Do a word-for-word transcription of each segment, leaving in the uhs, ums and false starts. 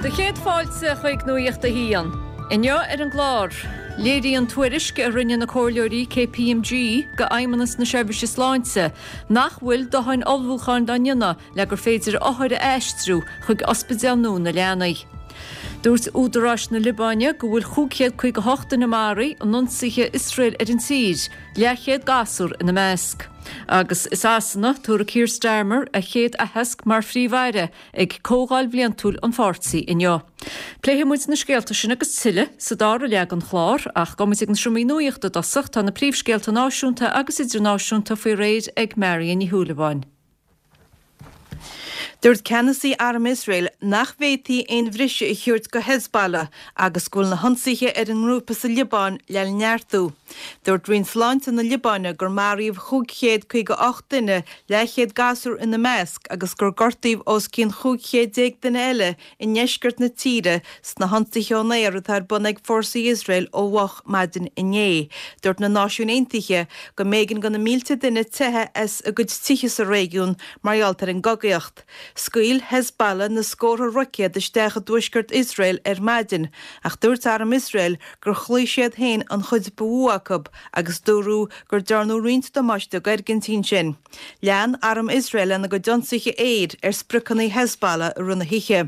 Do chéad fáilte chuig Nuacht a hAon. Inniu ar an gclár, léiríonn tuairisc a rinne na comhairleoirí KPMG go Fheidhmeannas na Seirbhíse Sláinte nach bhfuil dóthain ullmhúcháin á ndéanamh le gur féidir othair a aistriú chuig ospidéal nua na leanaí. Dúirt údaráis na Liobáine go bhfuil cúig chéad caoga hocht duine maraithe in ionsaithe Iosrael ar an tír, leathchéad gasúr ina measc. Agus i Sasana tabharfaidh Keir Starmer a chéad aitheasc mar phríomh-aire ag comhdháil bhliantúil an pháirtí inniu. Pléifidh muid na scéalta sin agus tuilleadh sa dara leath den chlár ach gabhfaidh muid ag na seomraí nuachta i dtosach tá na príomhscéalta náisiúnta agus idirnáisiúnta faoi réir ag Marion Ní Shúilleabháin. Dúirt ceannasaí arm Iosrael nach bhféadfaí aon bhriseadh a thabhairt go Hezbollah agus go bhfuil na hionsaithe ar an ngrúpa sa Liobáin le neartú. Dúirt Roinn Sláinte na Liobáine gur maraíodh cúig chéad caoga ocht duine leathchéad gasúr ina measc agus gur gortaíodh os cionn chúig chéad déag duine eile i ndeisceart na tíre sna hionsaithe ón aer atá ar bun ag fórsaí Iosrael ó mhoch maidin inné. Dúirt na Náisiúin Aontaithe go mb'éigean do na mílte duine teitheadh as a gcuid tithe sa réigiún mar gheall ar an gcogaíocht. Scaoil Hezbollah na scórtha roicéad isteach i dtuaisceart Iosrael ar maidin, ach dúirt arm Iosrael gur chloígh siad féin an chuid ba mhó acu agus dúradh gur dearnadh roinnt damáiste d'fhoirgintí ansin. Lean arm Iosrael lena gcuid ionsaithe aeir ar spriocanna Hezbollah i rith na hoíche.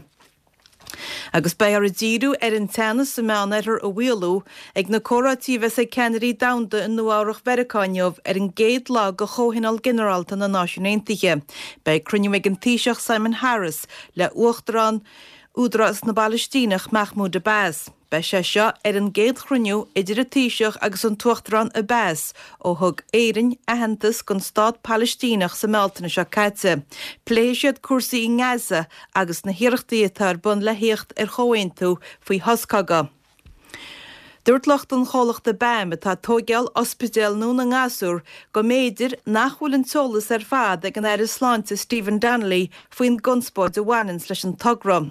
Agus beidh orthu díriú ar an teannas sa Meánoirthear a mhaolú ag na comhráití a bheas ag ceannairí domhanda i Nua-Eabhrac Mheiriceá inniu ar an gcéad lá de Chomhthionól Ginearálta na Náisiún Aontaithe. Beidh cruinniú ag an Taoiseach Simon Harris le Uachtarán Údarás na bPalaistíneach Mahmoud Abbas. Beidh sé seo ar an gcéad chruinniú idir an Taoiseach agus an tUachtarán Abbas ó thug Éirinn aitheantas don stát Palaistíneach sa mBealtaine seo caite. Pléifidh siad cúrsaí i nGaza agus na hiarrachtaí atá ar bun le theacht ar chomhaontú faoi shos cogaidh. Dúirt lucht an chomhlachta BAM atá ag tóigeáil ospidéal nua na ngasúr go mb'fhéidir nach bhfuil an t-eolas ar fad ag an Aire Sláinte Stephen Donnelly faoin gconspóid a bhaineanns leis an togra.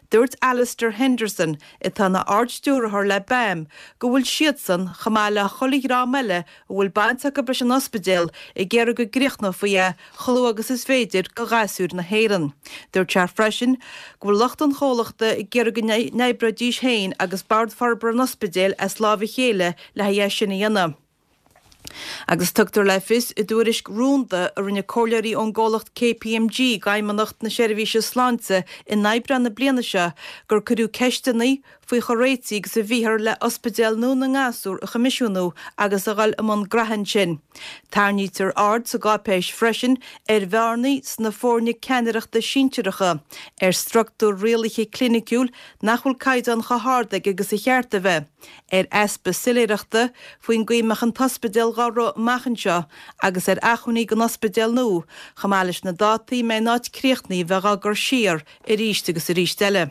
Dúirt Alistair Henderson, atá ina ardstiúrthóir le BAM, go bhfuil siadsan, chomh maith le chuile dhream eile a bhfuil baint acu leis an ospidéal, ag iarraidh go gcríochnófaí é chomh luath agus is féidir do ghasúir na hÉireann. Dúirt sé freisin go bhfuil lucht an chomhlachta ag iarraidh go n-oibreoidís féin agus Bord Forbartha an Ospidéil as lámh a chéile le haghaidh é sin a dhéanamh. Agus tugtar le fios i dtuairisc rúnda a rinne comhairleoirí ón gcomhlacht KPMG d'Fheidhmeannacht na Seirbhíse Sláinte in Aibreán na bliana seo gur cuireadh ceisteanna faoi chomh réitithe agus a bhíothar le ospidéal nua na ngasúr a choimisiúnú agus a dhul i mbun graithe ansin. Tarraingítear aird sa gcáipéis freisin ar bhearnaí sna foirne ceannaireachta sinsearacha, ar struchtúr rialaithe cliniciúil nach bhfuil caighdeán chomh hard aige agus a cheart a bheith, ar easpa soiléireachta faoin gcaoi a mbeadh an t-ospidéal dhá rith amach anseo agus ar acmhainní don ospidéal nua, chomh maith leis na dátaí a mbeidh an áit críochnaithe bheith á gcur siar arís agus arís eile.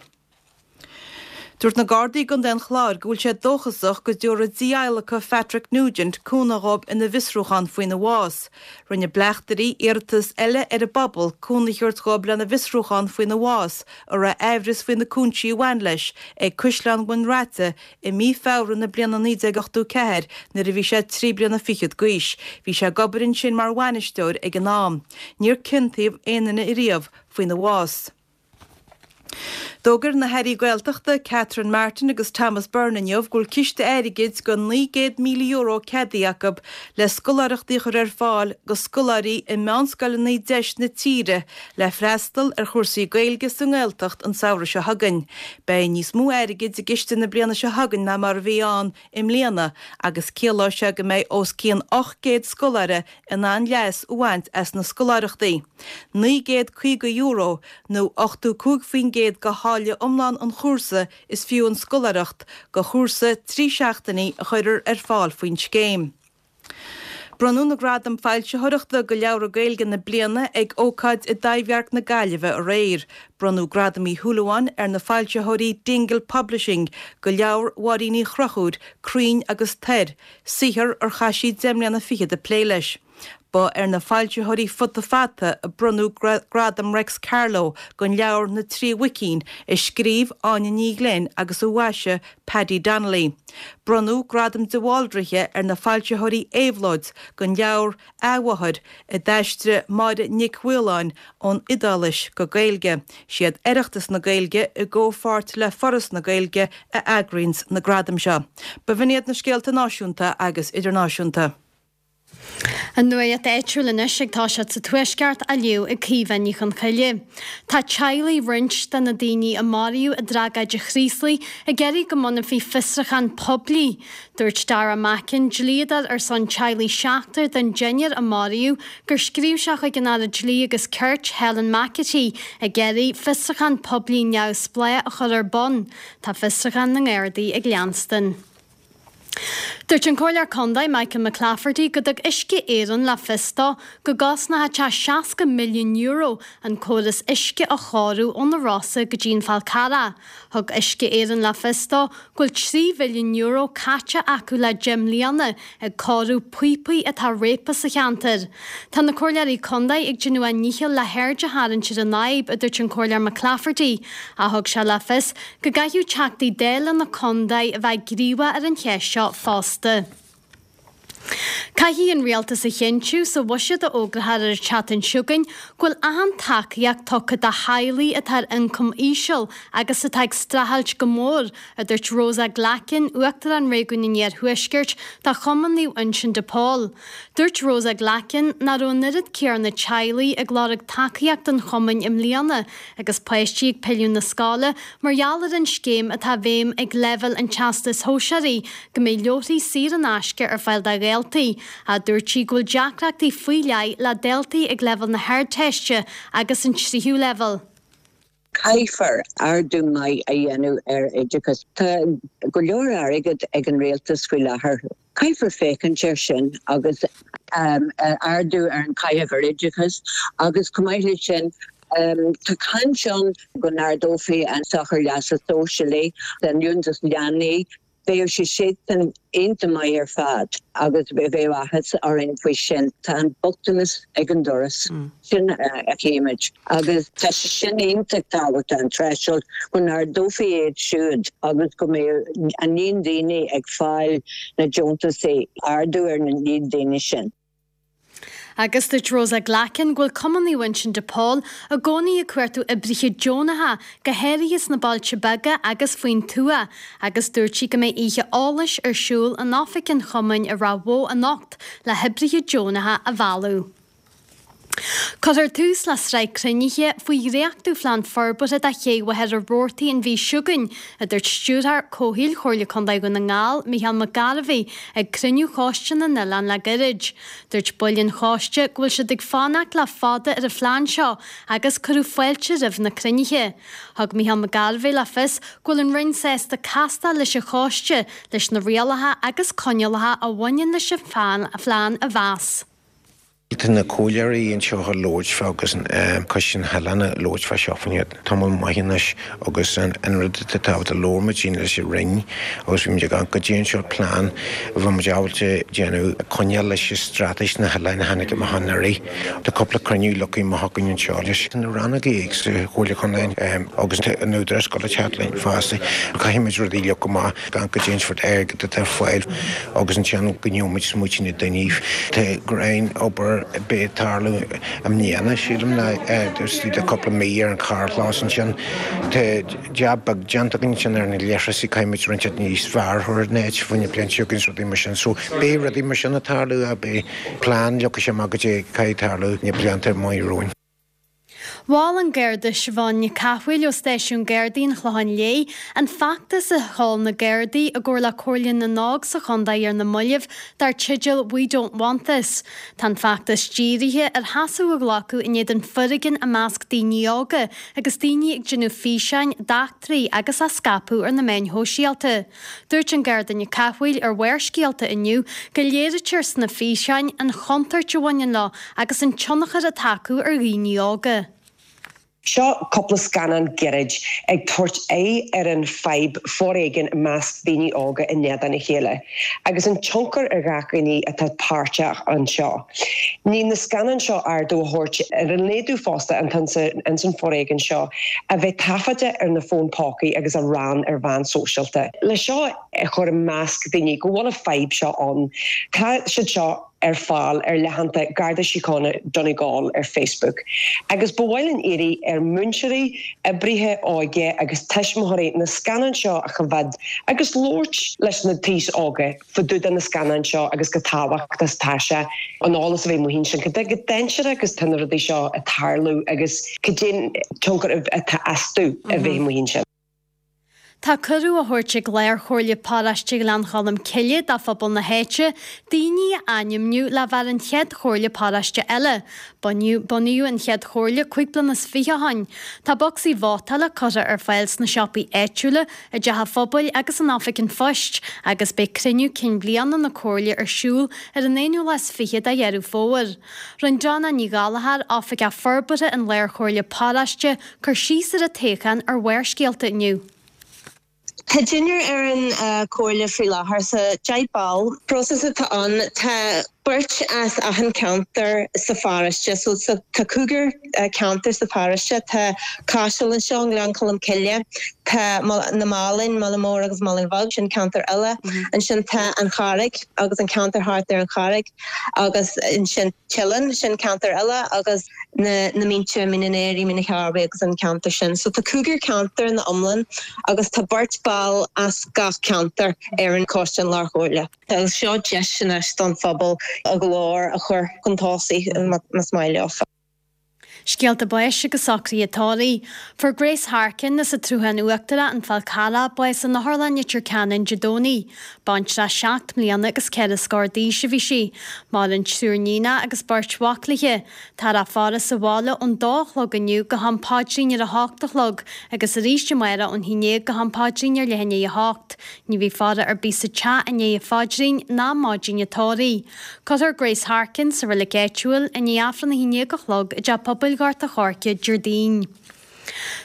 Dúirt na Gardaí i gContae an Chláir go bhfuil siad dóchasach go dtabharfaidh dí-adhlacadh Phatrick Nugent cúnamh dhóibh ina bhfiosrúchán faoina bhás. Rinne bleachtairí iarratas eile ar an bpobal cúnamh a thabhairt dhóibh lena bhfiosrúchán faoina bhás, a raibh aimhreas faoi na cúinsí a bhain leis, ag Caisleán Bhun Raite i mí Feabhra na bliana naoi déag ochtó ceathair nuair a bhí sé trí bliana fichead d'aois. Bhí sé ag obair ansin mar bhainisteoir ag an am. Níor ciontaíodh aon duine ariamh faoina bhás. D'fhógair na hAirí Gaeltachta Catherine Martin agus Thomas Byrne inniu go bhfuil ciste airgid de naoi gcéad míle euro ceadaithe acu le scoláireachtaí a chur ar fáil do scoláirí i meánscoileanna deis na tíre le freastal ar chúrsaí Gaeilge sa nGaeltacht an samhradh seo chugainn. Beidh níos mó airgid i gciste na bliana seo chugainn ná mar a bhí ann i mbliana agus ciallóidh sé go mbeidh os cionn ocht gcéad scoláire in ann leas a bhaint as na scoláireachtaí. Naoi gcéad caoga euro, nó ochtó cúig faoin gcéad de tháille iomlán an chúrsa is fiú an scoláireacht do chúrsa trí seachtainí a chuirfear ar fáil faoin scéim. Bronnadh na Gradaim Foilsitheoireachta do Leabhra Gaeilge na bliana ag ócáid i dTaibhdhearc na Gaillimhe aréir. Bronnadh Gradam Uí Shúilleabháin ar na foilsitheoirí Dingle Publishing do leabhar Mháirín Uí Chonchúir, Crainn agus Toir, saothar ar chaith sí deich mbliana fichead ag plé leis. Ba ar na foilsitheoirí Futa Fata a bronnadh Gradam Réics Carló don leabhar Na Trí Mhuicín a scríobh Áine Ní Ghlinn agus a mhaisigh Paddy Donnelly. Bronnadh Gradam de Bhaldraithe ar na foilsitheoirí Éabhlóid don leabhar Athmháthair a d'aistrigh Máire Nic Mhaoláin ón Iodáilis go Gaeilge. Siad Oireachtas na Gaeilge i gcomhpháirt le Foras na Gaeilge a eagraíonn na gradaim seo. B'in iad na scéalta náisiúnta agus idirnáisiúnta. An nuacht áitiúil anois ag toiseacht sa Tuaisceart á léamh ag Caoimhe Ní Chonchoille. Tá teaghlaigh roinnt de na daoine a maraíodh i dtragóid an Chraoslaigh ag iarraidh go mbunófaí fiosrúchán poiblí. Dúirt Dara Mackin, dlíodóir ar son teaghlaigh seachtar den deichniúr a maraíodh, gur scríobh sé chuig an Aire Dlí agus Cirt Helen McEntee ag iarraidh fiosrúchán poiblí neamhspleách a chur ar bun. Tá fiosrúchán na nGardaí ag leanstan. Dúirt an Comhairleoir Contae Michael McClafferty go dtug Uisce Éireann le fios dó go gcosnódh sé seasca milliún euro an córas uisce a chóiriú ó na Rosa go dtí an Fál Carrach. Thug Uisce Éireann le fios dó go bhfuil trí mhilliún euro caite acu le deich mbliana ag cóiriú píopaí atá réabtha sa cheantar. Tá na comhairleoirí contae ag déanamh a ndícheall le haird a tharraingt ar an fhadhb, a dúirt an Comhairleoir McClafferty, ach thug sé le fios go gcaithfidh Teachtaí Dála na contae a bheith gníomhach ar an cheist seo fosta. Caithfidh an rialtas a chinntiú sa bhuiséad a fhógrófar ar an tseachtain seo chugainn go bhfuil achan tacaíocht tugtha do theaghlaigh atá ar ioncam íseal agus atá ag streachailt go mór, a dúirt Rosa Glackin, Uachtarán Réigiún an Iarthuaiscirt do Chumann Naomh Uinseann de Pól. Dúirt Rosa Glackin nach raibh an oiread céanna teaghlaigh ag lorg tacaíocht an chumainn i mbliana agus páistí ag pilleadh na scoile mar gheall ar an scéim atá i bhfeidhm ag leibhéal an Teastais Shóisearaigh go mbeidh leabharthaí saor in aisce ar fáil do dhaltaí. Ach dúirt sí go bhfuil deacrachtaí faoi leith le daltaí ag leibhéal na hArdteiste agus an tríú leibhéal. Caithfear ardú maith a dhéanamh ar oideachas. Tá go leor airgead ag an rialtas faoi láthair. Caithfear féachaint air sin agus um, ardú ar an caitheamh ar oideachas agus chomh maith leis sin Um, tá caint ann go n-ardófaí an sochar leasa sóisialaigh den liúntas leanaí Bheadh sé sin iontach maith ar fad agus bheadh áthas orainn faoi sin tá an bochtanas ag an doras mm. sin a chéimid agus tá sé sin iontach tábhachtach an threshold go n-ardófaí iad siúd agus go mbeidh an líon daoine ag fáil na deontas ardú ar na líon daoine sin. Agus dúirt Rosa Glackin go bhfuil Cumann Naomh Uinseann de Pól i gcónaí ag cuartú oibrithe deonacha go háirithe sna bailte beaga agus faoin tuath, agus dúirt sí go mbeidh oíche eolais ar siúl in oifig an chumainn i Ráth Bhoth anocht le hoibrithe deonacha a mhealladh. Cuirfear tús le sraith cruinnithe faoi dhréachtú phlean forbartha do Ché Mhachaire Rabhartaigh an mhí seo chugainn, a dúirt Stiúrthóir Comhshaoil Chomhairle Contae Dhún na nGall, Micheál Mac Gairbheith, ag cruinniú Choiste na nOileán le gairid. Dúirt baill an choiste go bhfuil siad ag fanacht le fada ar an phlean seo agus cuireadh fáilte roimh na cruinnithe. Thug Micheál Mac Gairbheith le fios go bhfuil an Roinn sásta castáil leis an choiste leis na rialacha agus coinníollacha a bhaineann leis an phlean a mheas. Tá na comhairleoirí anseo ag labhairt fá agus Coiste na nOileán ag labhairt fá seo fá tamall maith anois agus an rud atá tábhachtach labhair muid leis an Roinn agus bhí muid ag go dtí seo plean a bhí muid ábalta déanamh coinneáil leis an straitéis na hoileáin a tháinig amach anuraidh. Tá cúpla cruinniú leagtha amach againn anseo leis na rannóga sa Chomhairle Contae agus an Údarás go teacht linn fosta. Caithfidh muid rudaí a leagan amach gan go dtéann fort airgead atá ar fáil agus ansin go ndeomuid smuoite na daoine. Tá grein obair beidh tarlú i mbliana sílim ná de cúpla mí ar an carrchlós ansin. Tá jab beag déanta againn sin ar na leithreasaí caithfimid roinnt níos fearr a chur in áit faoin bhliain seo agus rudaí mar sin. So beidh rudaí mar sin ag tarlú a beidh plean leagtha amach go dtí caithfidh tarlú na blianta amach romhainn. Mhol an Garda Siobhán Nic Cathmhaoil ó Stáisiún Gardaí an Chlocháin Léith an feachtas a sheol na Gardaí i gcomhar le Comhairle na nÓg sa chontae ar na mallaibh dar teideal We Don't Want This. Tá an feachtas dírithe ar sheasamh a ghlacadh in éadan foréigin i measc daoine óga agus daoine ag déanamh físeáin d'eachtraí agus á scaipeadh ar na meáin shóisialta. Dúirt an Garda Nic Cathmhaoil ar Bharrscéalta inniu go léirítear sna físeáin an chontúirt a bhaineann leo agus an tionchar atá acu ar dhaoine óga. Seo cúpla scannán gairid ag tabhairt aghaidh ar an fadhb foréigin i measc daoine óga in éadan a chéile, agus an tionchar ar gach duine atá páirteach anseo. Ní na scannáin seo ardú a thabhairt ar an laghdú fosta an san foréigean seo a bheith taifeadta ar na fóin pócaí agus a roinnt ar mheáin sóisialta. Le seo a chur i measc daoine go bhfuil an fadhb seo ann. Tá siad seo ar fáil ar leathanaigh Garda Síochána Donegal ar Facebook. Agus ba mhaith linn iarraidh ar mhúinteoirí, oibrithe óige agus tuismitheoirí na scannáin seo a choimhéad agus labhairt leis na daoine óga fá dtaobh de na scannáin seo agus chomh tábhachtach is atá sé an eolas a bheith amuigh sin go go dainséarach agus tá na rudaí seo ag tarlú agus cad é an tionchar atá astu a bheith amuigh sin. Tá cuireadh á thabhairt ag Lárchomhairle Paróiste Ghleann Cholm Cille do phobal na háite, daoine a ainmniú le bheith ar an chéad chomhairle paróiste eile. Bunaíodh an chéad chomhairle cúig bliana is fiche ó shin. Tá bocsaí vótála curtha ar fáil sna siopaí áitiúla, i dteach an phobail agus in oifig an phoist, agus beidh cruinniú cinn bliana na comhairle ar siúl ar an aonú lá is fiche de Dheireadh Fómhair. Rinne Donna Ní Ghallchóir, Oifigeach Forbartha an Lárchomhairle Paróiste, cur síos ar an toghchán ar Bharrscéalta inniu. Tá deichniúr ar an uh, comhairle faoi láthair sa deich ball. Próiseas atá ann tá beirt as achan ceantar sa pharóiste, so sa tá cúigear uh, ceantar sa pharóiste tá Caiseal anseo Gleann Cholm Cille tá na Málainn Mála Mór agus Málainn Bheag sin ceantar eile mm -hmm. ansin tá an Charraig agus an ceantar thart ar an Charraig agus ansin Teileann sin ceantar eile agus na, na Mínte Mín an Aoraigh Mín an Chearbaigh agus an ceantar sin. So tá cúigear ceantar ina iomlán agus tá beirt ball as gach ceantar ar an choiste an Lárchomhairle. Agus seo deis anois don phobal a nglór a chur chun tosaigh más maith leo. Scéalta báis agus socruithe tórraimh. Fuair Grace Harkin as an tSruthán Uachtarach an Fál Carrach bás in Otharlann Leitir Ceanainn Dé Domhnaigh. Baintreach seacht mbliana agus ceithre scór d'aois a bhí sí. Maireann triúr níon agus beirt mhac léi. Tá a faire sa bhaile ón dó a chlog inniu go ham paidrín ar a hocht a chlog, agus arís amárach ón haon déag go ham paidrín ar leath i ndiaidh a hocht. Ní bheidh faire ar bith sa teach i ndiaidh an phaidrín ná maidin an tórraimh. Cuirfear Grace Harkin sa reilig áitiúil i ndiaidh Aifreann a haon déag a chlog i dteach pobail Ghort an Choirce Déardaoin.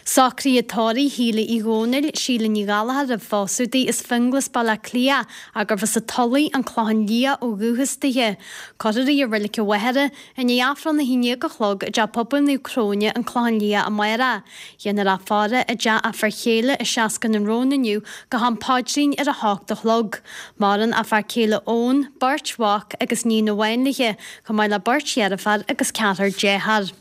Socruithe tórraimh Shíle Uí Dhónaill, Síle Ní Ghallchóir roimh phósadh di as Finglas Baile Átha Cliath gurbh as an Tulaigh an Clochán Liath ó dhúchas dithe. Cuirfear í i Reilig an Mhachaire i ndiaidh Aifreann a haon déag a chlog i dteach pobail Naomh Cróine an Clochán Liath amárach. Dhéanfar a faire i dteach a fir chéile i Seascann an Róin inniu go ham paidrín ar a hocht a chlog. Maireann a fear céile Eoin, beirt mhac agus níon amháin léi, chomh maith le beirt dheirfiúr agus ceathrar dearthár.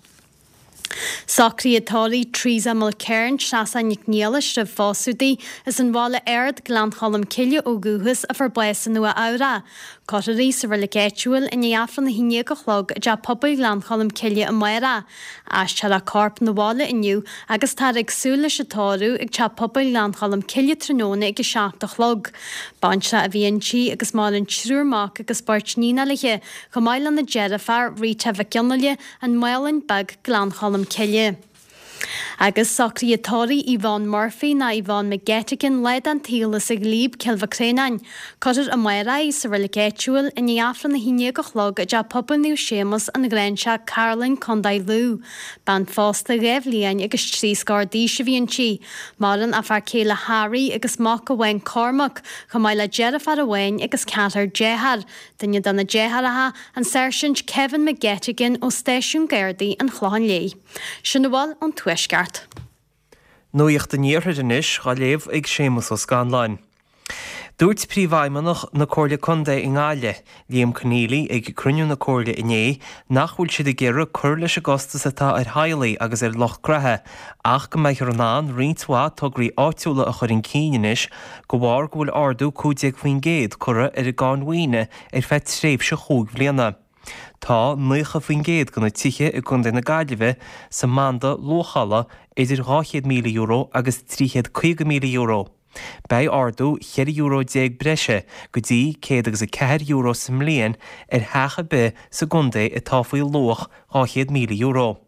Socruithe tórraimh Teresa Mulcairn Treasa Nic Niallais roimh phósadh di as an Bhaile Ard Gleann Cholm Cille ó dhúchas a fuair bás i Nua Eabhrac. Cuirfear í sa reilig áitiúil i ndiaidh Aifreann a haon déag a chlog i dteach pobail Ghleann Cholm Cille amárach. Aistreofar a corp 'na bhaile inniu agus táthar ag súil leis an tórramh ag teach pobail Ghleann Cholm Cille tráthnóna ag a seacht a chlog. Baintreach a bhí inti agus maireann triúr mac agus beirt níon léi, chomh maith lena deirfiúr Rita Mhic Fhionnaile an Mhálainn Beag Gleann Cholm Cille. Agus socruithe tórraimh Yvonne Murphy ná Yvonne McGettigan lá den tsaol as an Ghlíob Cill Mhic Réanáin. Cuirfear amárach í sa reilig áitiúil i ndiaidh Aifreann a haon déag a chlog i dteach pobail Naomh Séamus an Ghráinseach Caroline Contae Lú. Bean phósta dhá bhliain agus trí scór d'aois a bhí inti. Maireann a fear céile Harry agus mac amháin Cormac, chomh maith le deirfiúr amháin agus ceathrar dearthár. Duine de na deartháireacha an Sáirsint Kevin McGettigan ó Stáisiún Gardaí an Chlocháin Léith. Sin a bhfuil ón Tuaisceart. Nuacht an Iarthair anois á léamh ag Séamus Ó Scanláin. Dúirt príomhfheidhmeannach na Comhairle Contae i nGaillimh, Liam Conneely ag cruinniú na Comhairle inné nach bhfuil siad ag iarraidh cur leis an gcostas atá ar theaghlaigh agus ar lucht gnó, ach go mbeifear in ann roinnt mhaith tograí áitiúla a chur chun cinn anois de bharr go bhfuil ardú cúig déag faoin gcéad curtha ar an gcáin mhaoine ar feadh tréimhse chúig bhliana. Tá nócha faoin gcéad de na tithe i gContae na Gaillimhe sa mbanda luachála idir dhá chéad míle euro agus trí chéad caoga míle euro. Beidh ardú ceithre euro déag breise go dtí céad agus a ceathair euro sa mbliain ar theach ar bith sa gcontae atá faoi luach dhá chéad míle euro.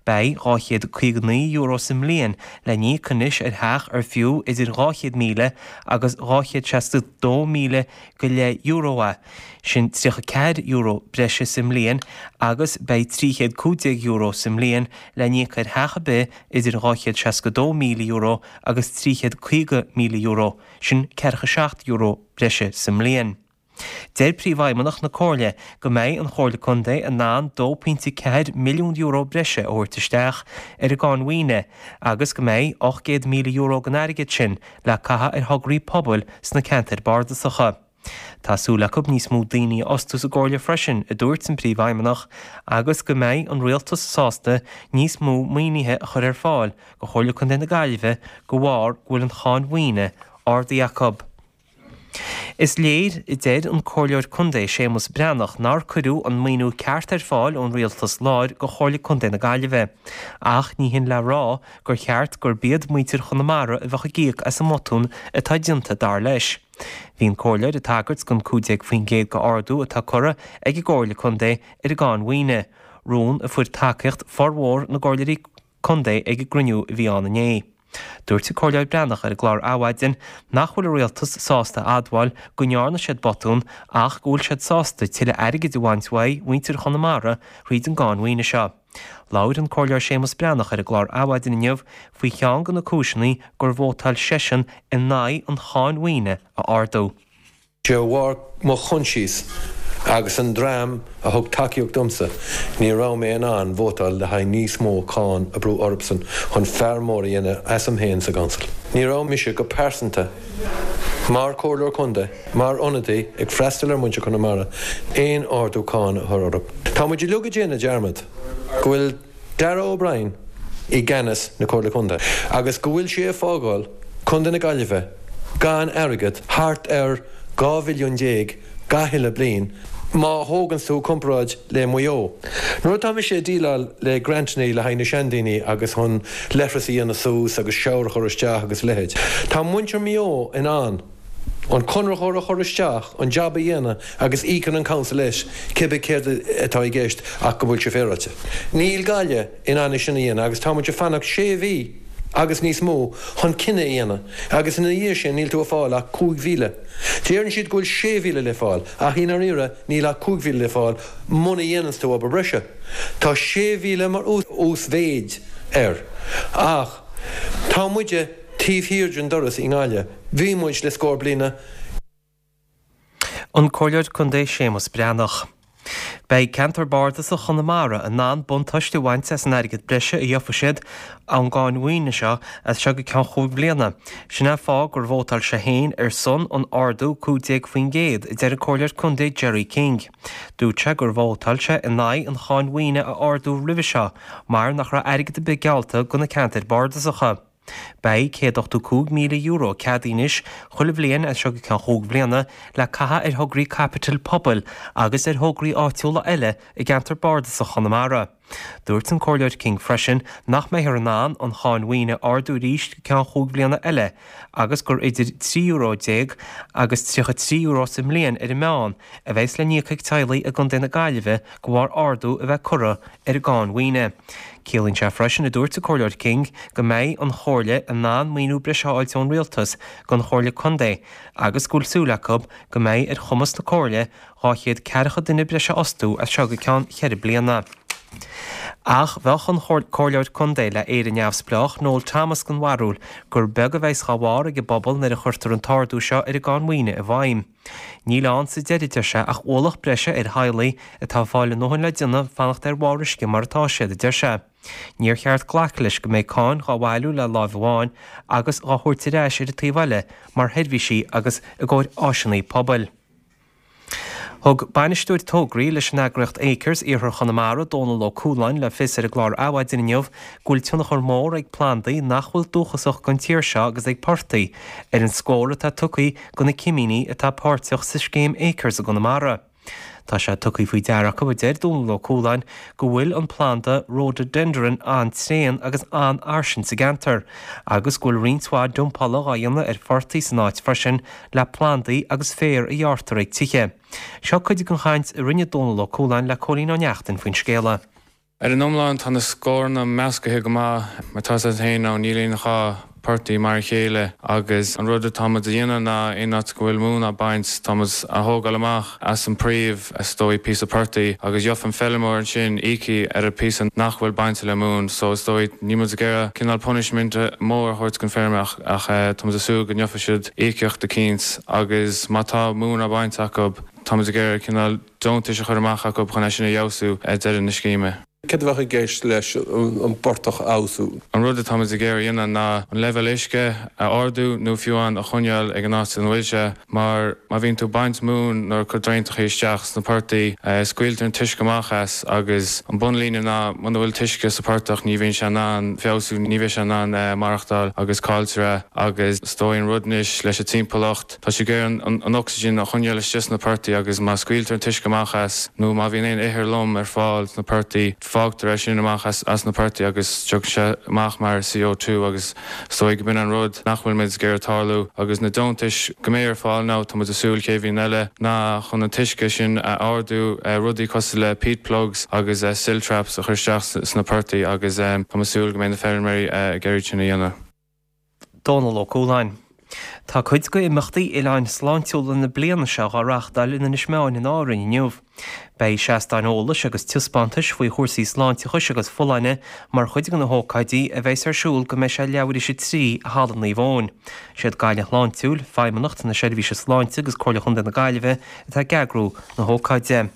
Beidh dhá chéad caoga naoi euro sa mbliain le n-íoc anois ar theach ar fiú idir dhá chéad míle agus dhá chéad seasca dó míle go leith euro é, sin tríocha ceathair euro breise sa mbliain agus beidh trí chéad cúig déag euro sa mbliain le n-íoc ar theach ar bith idir dhá chéad seasca dó míle euro agus trí chéad caoga míle euro, sin ceathracha seacht euro breise sa mbliain. Deir Príomhfheidhmeannach na Comhairle go mbeidh an Chomhairle Contae in ann dó pointe ceathair milliún euro breise a thabhairt isteach ar an gcáin mhaoine agus go mbeidh ocht gcéad míle euro den airgead sin le caitheamh ar thograí pobail sna ceantair bardasacha. Tá súil acu níos mó daoine a fhostú sa gComhairle freisin, a dúirt an Príomhfheidhmeannach, agus go mbeidh an Rialtas sásta níos mó maoinithe a chur ar fáil do Chomhairle Contae na Gaillimhe de bharr go bhfuil an cháin mhaoine ardaithe acu. Is léir, a deir an Comhairleoir Contae Séamus Breathnach, nár cuireadh an maoiniú ceart ar fáil ón Rialtas Láir go Chomhairle Contae na Gaillimhe. Ach ní hin le rá gur cheart gurb iad muintir Chonamara a bheadh ag íoc as an mbotún atá déanta, dar leis. Bhí an Comhairleoir ag tagairt don cúig déag faoin gcéad d'ardú atá curtha ag an gComhairle Contae ar an gcáin mhaoine, rún a fuair tacaíocht formhór na gComhairleoirí Contae ag an gcruinniú a bhí ann inné. Dúirt an Comhairleoir Breathnach ar an gclár Adhmhaidin nach bhfuil an Rialtas sásta a admháil go ndearna siad botún ach go bhfuil siad sásta tuilleadh airgid a bhaint uaidh mhuintir Chonamara thríd an gcáin mhaoine seo. Labhair an Comhairleoir Séamus Breathnach ar an gclár Adhmhaidin inniu faoi cheann de na cúiseanna gur vótáil seisean in aghaidh an cháin mhaoine a ardú. De bharr mo choinsias agus an dream a thug tacaíocht domsa, ní raibh mé in ann vótáil le haghaidh níos mó cáin a brú orthusan chun fear mór a dhéanamh asam féin sa gcouncil. Ní raibh mise go pearsanta, mar Chomhairleoir Contae, mar ionadaí ag freastal ar mhuintir Chonamara, aon ardú cáin a chur orthu. Tá muid uilig ag déanamh dearmad go bhfuil Darragh O'Brien i gceannas na Comhairle Contae agus go bhfuil sé ag fágáil Contae na Gaillimhe gan airgead, thart ar dhá mhilliún déag gach uile bliain, má thóganns tú comparáid le Maigh Eo. Nuair atá mise ag déileáil le grantannaí le haghaidh na seandaoine agus chun leithreas a dhéanamh suas agus shower a chur isteach agus a leithéid, tá muintir Mhaigh Eo in ann an conraitheoir a chur isteach, an jab a dhéanamh agus íocann an council leis cibé céard atá i gceist ach go bhfuil sé féaráilte. Níl Gaillimh in ann é sin a dhéanamh agus tá muid ag fanacht sé mhí agus níos mó chun cinneadh a dhéanamh agus ina dhiaidh sin níl tú ag fáil ach cúig mhíle. Deireann siad go bhfuil sé mhíle le fáil ach i ndáiríre níl ach cúig mhíle le fáil muna dhéananns tú obair breise. Tá sé mhíle mar uasmhéid air ach tá muide taobh thiar den doras i nGaillimh. Bhí muid le scór bliana. An Comhairleoir Contae Séamus Breathnach. Beidh Ceantar Bardasach Chonamara in ann buntáiste a bhaint as an airgead breise a gheofaidh siad ón gcáin mhaoine seo as seo go ceann chúig bliana. Sin é an fáth gur vótáil sé féin ar son an ardú cúig déag faoin gcéad, a deir an Comhairleoir Contae Gerry King. Dúirt sé gur vótáil sé in aghaidh an cháin mhaoine a ardú roimhe seo mar nach raibh airgead ar bith geallta do na ceantair bardasacha. Beidh céad ochtó cúig míle euro ceadaithe anois chuile bhliain as seo go ceann chúig bhliana le caitheamh ar thograí caipitil pobail agus ar thograí áitiúla eile i gceantar bardasach Chonamara. Dúirt an Comhairleoir King freisin nach mbeifear in ann an cháin mhaoine a ardú arís go ceann chúig bhliana eile agus gur idir trí euro déag agus tríocha trí euro sa mbliain ar an meán a bheas le n-íoc ag teaghlaigh i gContae na Gaillimhe de bharr ardú a bheith curtha ar an gcáin mhaoine. Ciallaíonn sé freisin, a dúirt an Comhairleoir King, go mbeidh an Chomhairle in ann maoiniú breise a fháilt ón Rialtas don Chomhairle Contae agus go bhfuil súil acu go mbeidh ar chumas na Comhairle dhá chéad ceathracha duine breise a fhostú as seo go ceann cheithre bliana. Ach bheadh an Comhairleoir Contae le Éire Neamhspleách, Noel Thomas den bharúil gur beag a bheas dhá bharr ag an bpobal nuair a chuirtear an t-ardú seo ar an gcáin mhaoine i bhfeidhm. Níl ann sa deireadh, a deir sé, ach ualach breise ar theaghlaigh atá ag fáil a ndóthain le déanamh fanacht ar bharr uisce mar atá siad, a deir sé. Níor cheart glacadh leis go mbeidh cáin dhá bhailiú le láimh amháin agus dhá thabhairt ar ais ar an taobh eile mar sheirbhísí agus i gcomhair áiseanna pobail. Thug bainisteoir tograí leis an eagraíocht Acres, Iarthar Chonamara, Dónal Ó Cualáin, le fios ar an gclár Adhmhaidin inniu go bhfuil tionchar mór ag plandaí nach bhfuil dúchasach don tír seo agus ag portaigh ar an scór atá tugtha do na cimíní atá páirteach sa scéim Acres i gConamara. Tá sé tugtha faoi deara acu, a deir Dónal Ó Cualáin, go bhfuil an planda Rhododendron an-tréan agus an-fhairsing sa gceantar agus go bhfuil roinnt mhaith dumpála dhá dhéanamh ar phortaigh san áit freisin le plandaí agus féar a ghearrtar ag tithe. Seo cuid den chaint a rinne Dónal Ó Cualáin le Cóilín Ó Neachtain faoin scéala. Ar an iomlán tá na scóranna meascaithe go maith mar tá sé féin ná níl aon dhá portach mar a chéile agus an rud atáimid a dhéanamh ná aon áit go bhfuil móin á baint táimid á thógáil amach as an príomh is dóigh píosa portaigh agus gheobhaidh an feirmeoir ansin íocaíocht ar an píosa nach bhfuil bainte le móin so is dóigh níl muid ag iarraidh cineál punishment mór a thabhairt don feirmeoir ach ach táimid ag súil go ngeobhaidh siad íocaíocht eicínt agus má tá móin á baint acu táimid ag iarraidh cineál deontais a chur amach acu chun é sin a fheabhsú ag deireadh na scéime. Céard a bheadh i gceist leis an bportach a fheabhsú? An rud atáimid ag iarraidh a dhéanamh ná an leibhéal uisce a ardú nó fiú amháin a choinneáil ag an áit ina bhfuil sé, mar má bhíonn tú ag baint móin nó ag cur draentachaí isteach sna portaigh, scaoiltear an t-uisce amach as agus an bunlíne ná muna bhfuil t-uisce sa portach ní bhíonn sé in ann feabhsú, ní bheidh sé in ann maireachtáil agus cailltear é agus is dóigh an rud anois leis an timpeallacht, tá sé ag iarraidh an ocsaigin a choinneáil istigh sna portaigh agus má scaoiltear an t-uisce amach as nó má bhíonn aon ithir lom ar fáil sna portaigh, fágtar é sin amach as na portaigh agus tiocfaidh sé amach mar C O two agus is dóigh go b'in an rud nach bhfuil muid ag iarraidh tarlú agus na deontais go mbeidh ar fáil now tá muid ag súil chéad bhliain eile ná chun an t-uisce sin a ardú rudaí cosúil le peat plugs agus silt traps a chur isteach sna portaigh agus tá muid ag súil go mbeidh na feirmeoirí ag iarraidh sin a dhéanamh. Dónal Ó Cualáin. Tá cuid de imeachtaí Oileáin Sláintiúla na bliana seo á reáchtáil in Inis Meáin in Árainn inniu. Beidh seastáin eolais agus taispeántais faoi chúrsaí sláinteachais agus folláine mar chuid de na hócáidí a bheas ar siúl go mbeidh sé leathuair théis a trí i Halla Naomh Eoin. Siad Gaillimh Shláintiúil, Feidhmeannacht na Seirbhíse Sláinte agus Comhairle Chontae na Gaillimhe atá ag eagrú na hócáide.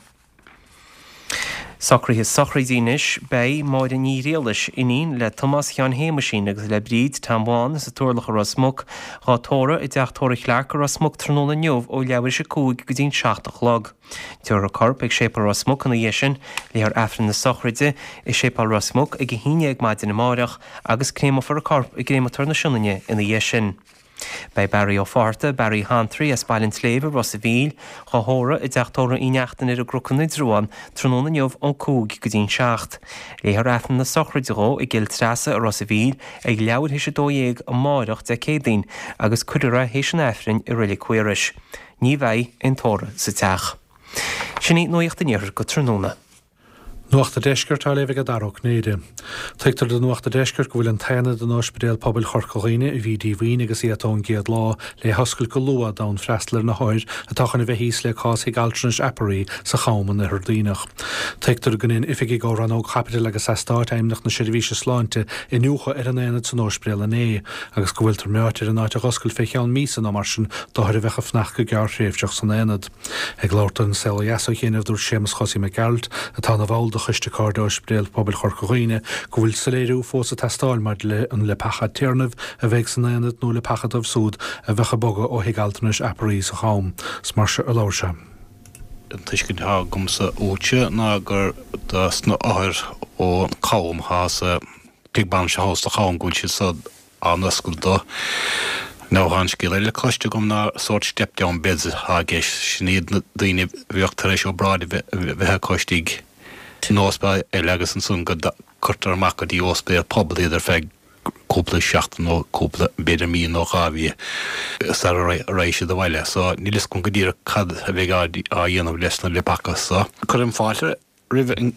Socruithe sochraide anois, beidh Máire Ní Riallais, iníon le Tomás Sheáin Shéamaisín agus le Bríd Tom Bhán as an Turlach i Ros Muc, dhá tórramh i dteach tórraimh Chlarke i Ros Muc tráthnóna inniu ó leathuair théis a cúig go dtí'n seacht a chlog. Tabharfar a corp ag Séipéal Ros Muc ina dhiaidh sin, léifear Aifreann na sochraide i Séipéal Ros Muc ag a haon déag maidin amáireach agus créamofar a corp i gcréamatóir na Sionainne ina dhiaidh sin. Beidh Barry Ó Fátharta, Barry Hantraí as Baile an tSléibhe, Ros a' Mhíl, dhá thórramh i dteach tórraimh Uí Neachtain ar an gCnoc in Indreabhán, tráthnóna inniu ón cúig go dtí'n seacht. Léifear Aifreann na sochraide dhó i gCill Treasa i Ros a' Mhíl ag leathuair théis a dó dhéag amáireach Dé Céadaoin agus cuirfear é théis an Aifrinn i Reilig Mhaorais. Ní bheidh aon tórramh sa teach. Sin í Nuacht an Iarthair go tráthnóna. Nuacht an Deiscirt á léamh ag Dara Ó Cinnéide. Tuigtear do Nuacht an Deiscirt go bhfuil an t-aonad in Ospidéal Pobail Chorca Dhuibhne a bhí díomhaoin agus iata ón gcéad lá le hoscailt go luath d'fhonn freastal ar na hothair atá chun a bheith thíos le cás Thigh Altranais Apari sa Cham in Oirthear Duibhneach. Tuigtear go ndein oifigigh ó Rannóg Chaipitil agus Eastáit Fheidhmeannacht na Seirbhíse Sláinte iniúchadh ar an aonad san ospidéal inné agus go bhfuiltear meáite ar an áit a dh'oscailt fé cheann míosa nó mar sin d'othair a bheadh ag fanacht go gearrthréimhseach san aonad. Ag labhairt don Saol Ó Dheas ó chianaibh dúirt Séamus Chosaí Mac Gearailt, atá ina bhall de Choiste Cairde Ospidéal Pobail Chorca Dhuibhne, go bhfuil soiléiriú fós ag teastáil maidir le an leapacha téarnaimh a bheidh san aonad nó leapacha dóibh súd a bheadh ag bogadh ó Thigh Altranais Apari sa Cham. Is mar seo a labhair sé. An tuiscint atá agamsa uaitse ná gur dos na othair ón Cham atá sa tigh bainise thall sa Cham go bhfuil siad so á n-oscailt dó. Now tá an scéal eile cloiste agam ná sórt step down beds atá i gceist, sin iad na daoine a bheadh tar éis obráid a bheith acu istigh in ospidéal eile agus ansan go cuirtear amach go dtí ospidéal pobail iad ar feadh cúpla seachtain nó cúpla, b'fhéidir mí nó dhá mhí sara raghaidh siad abhaile. So níl fhios agam go díreach cad a bheidh á dhéanamh leis na leapacha so. Cuirim fáilte roimh an,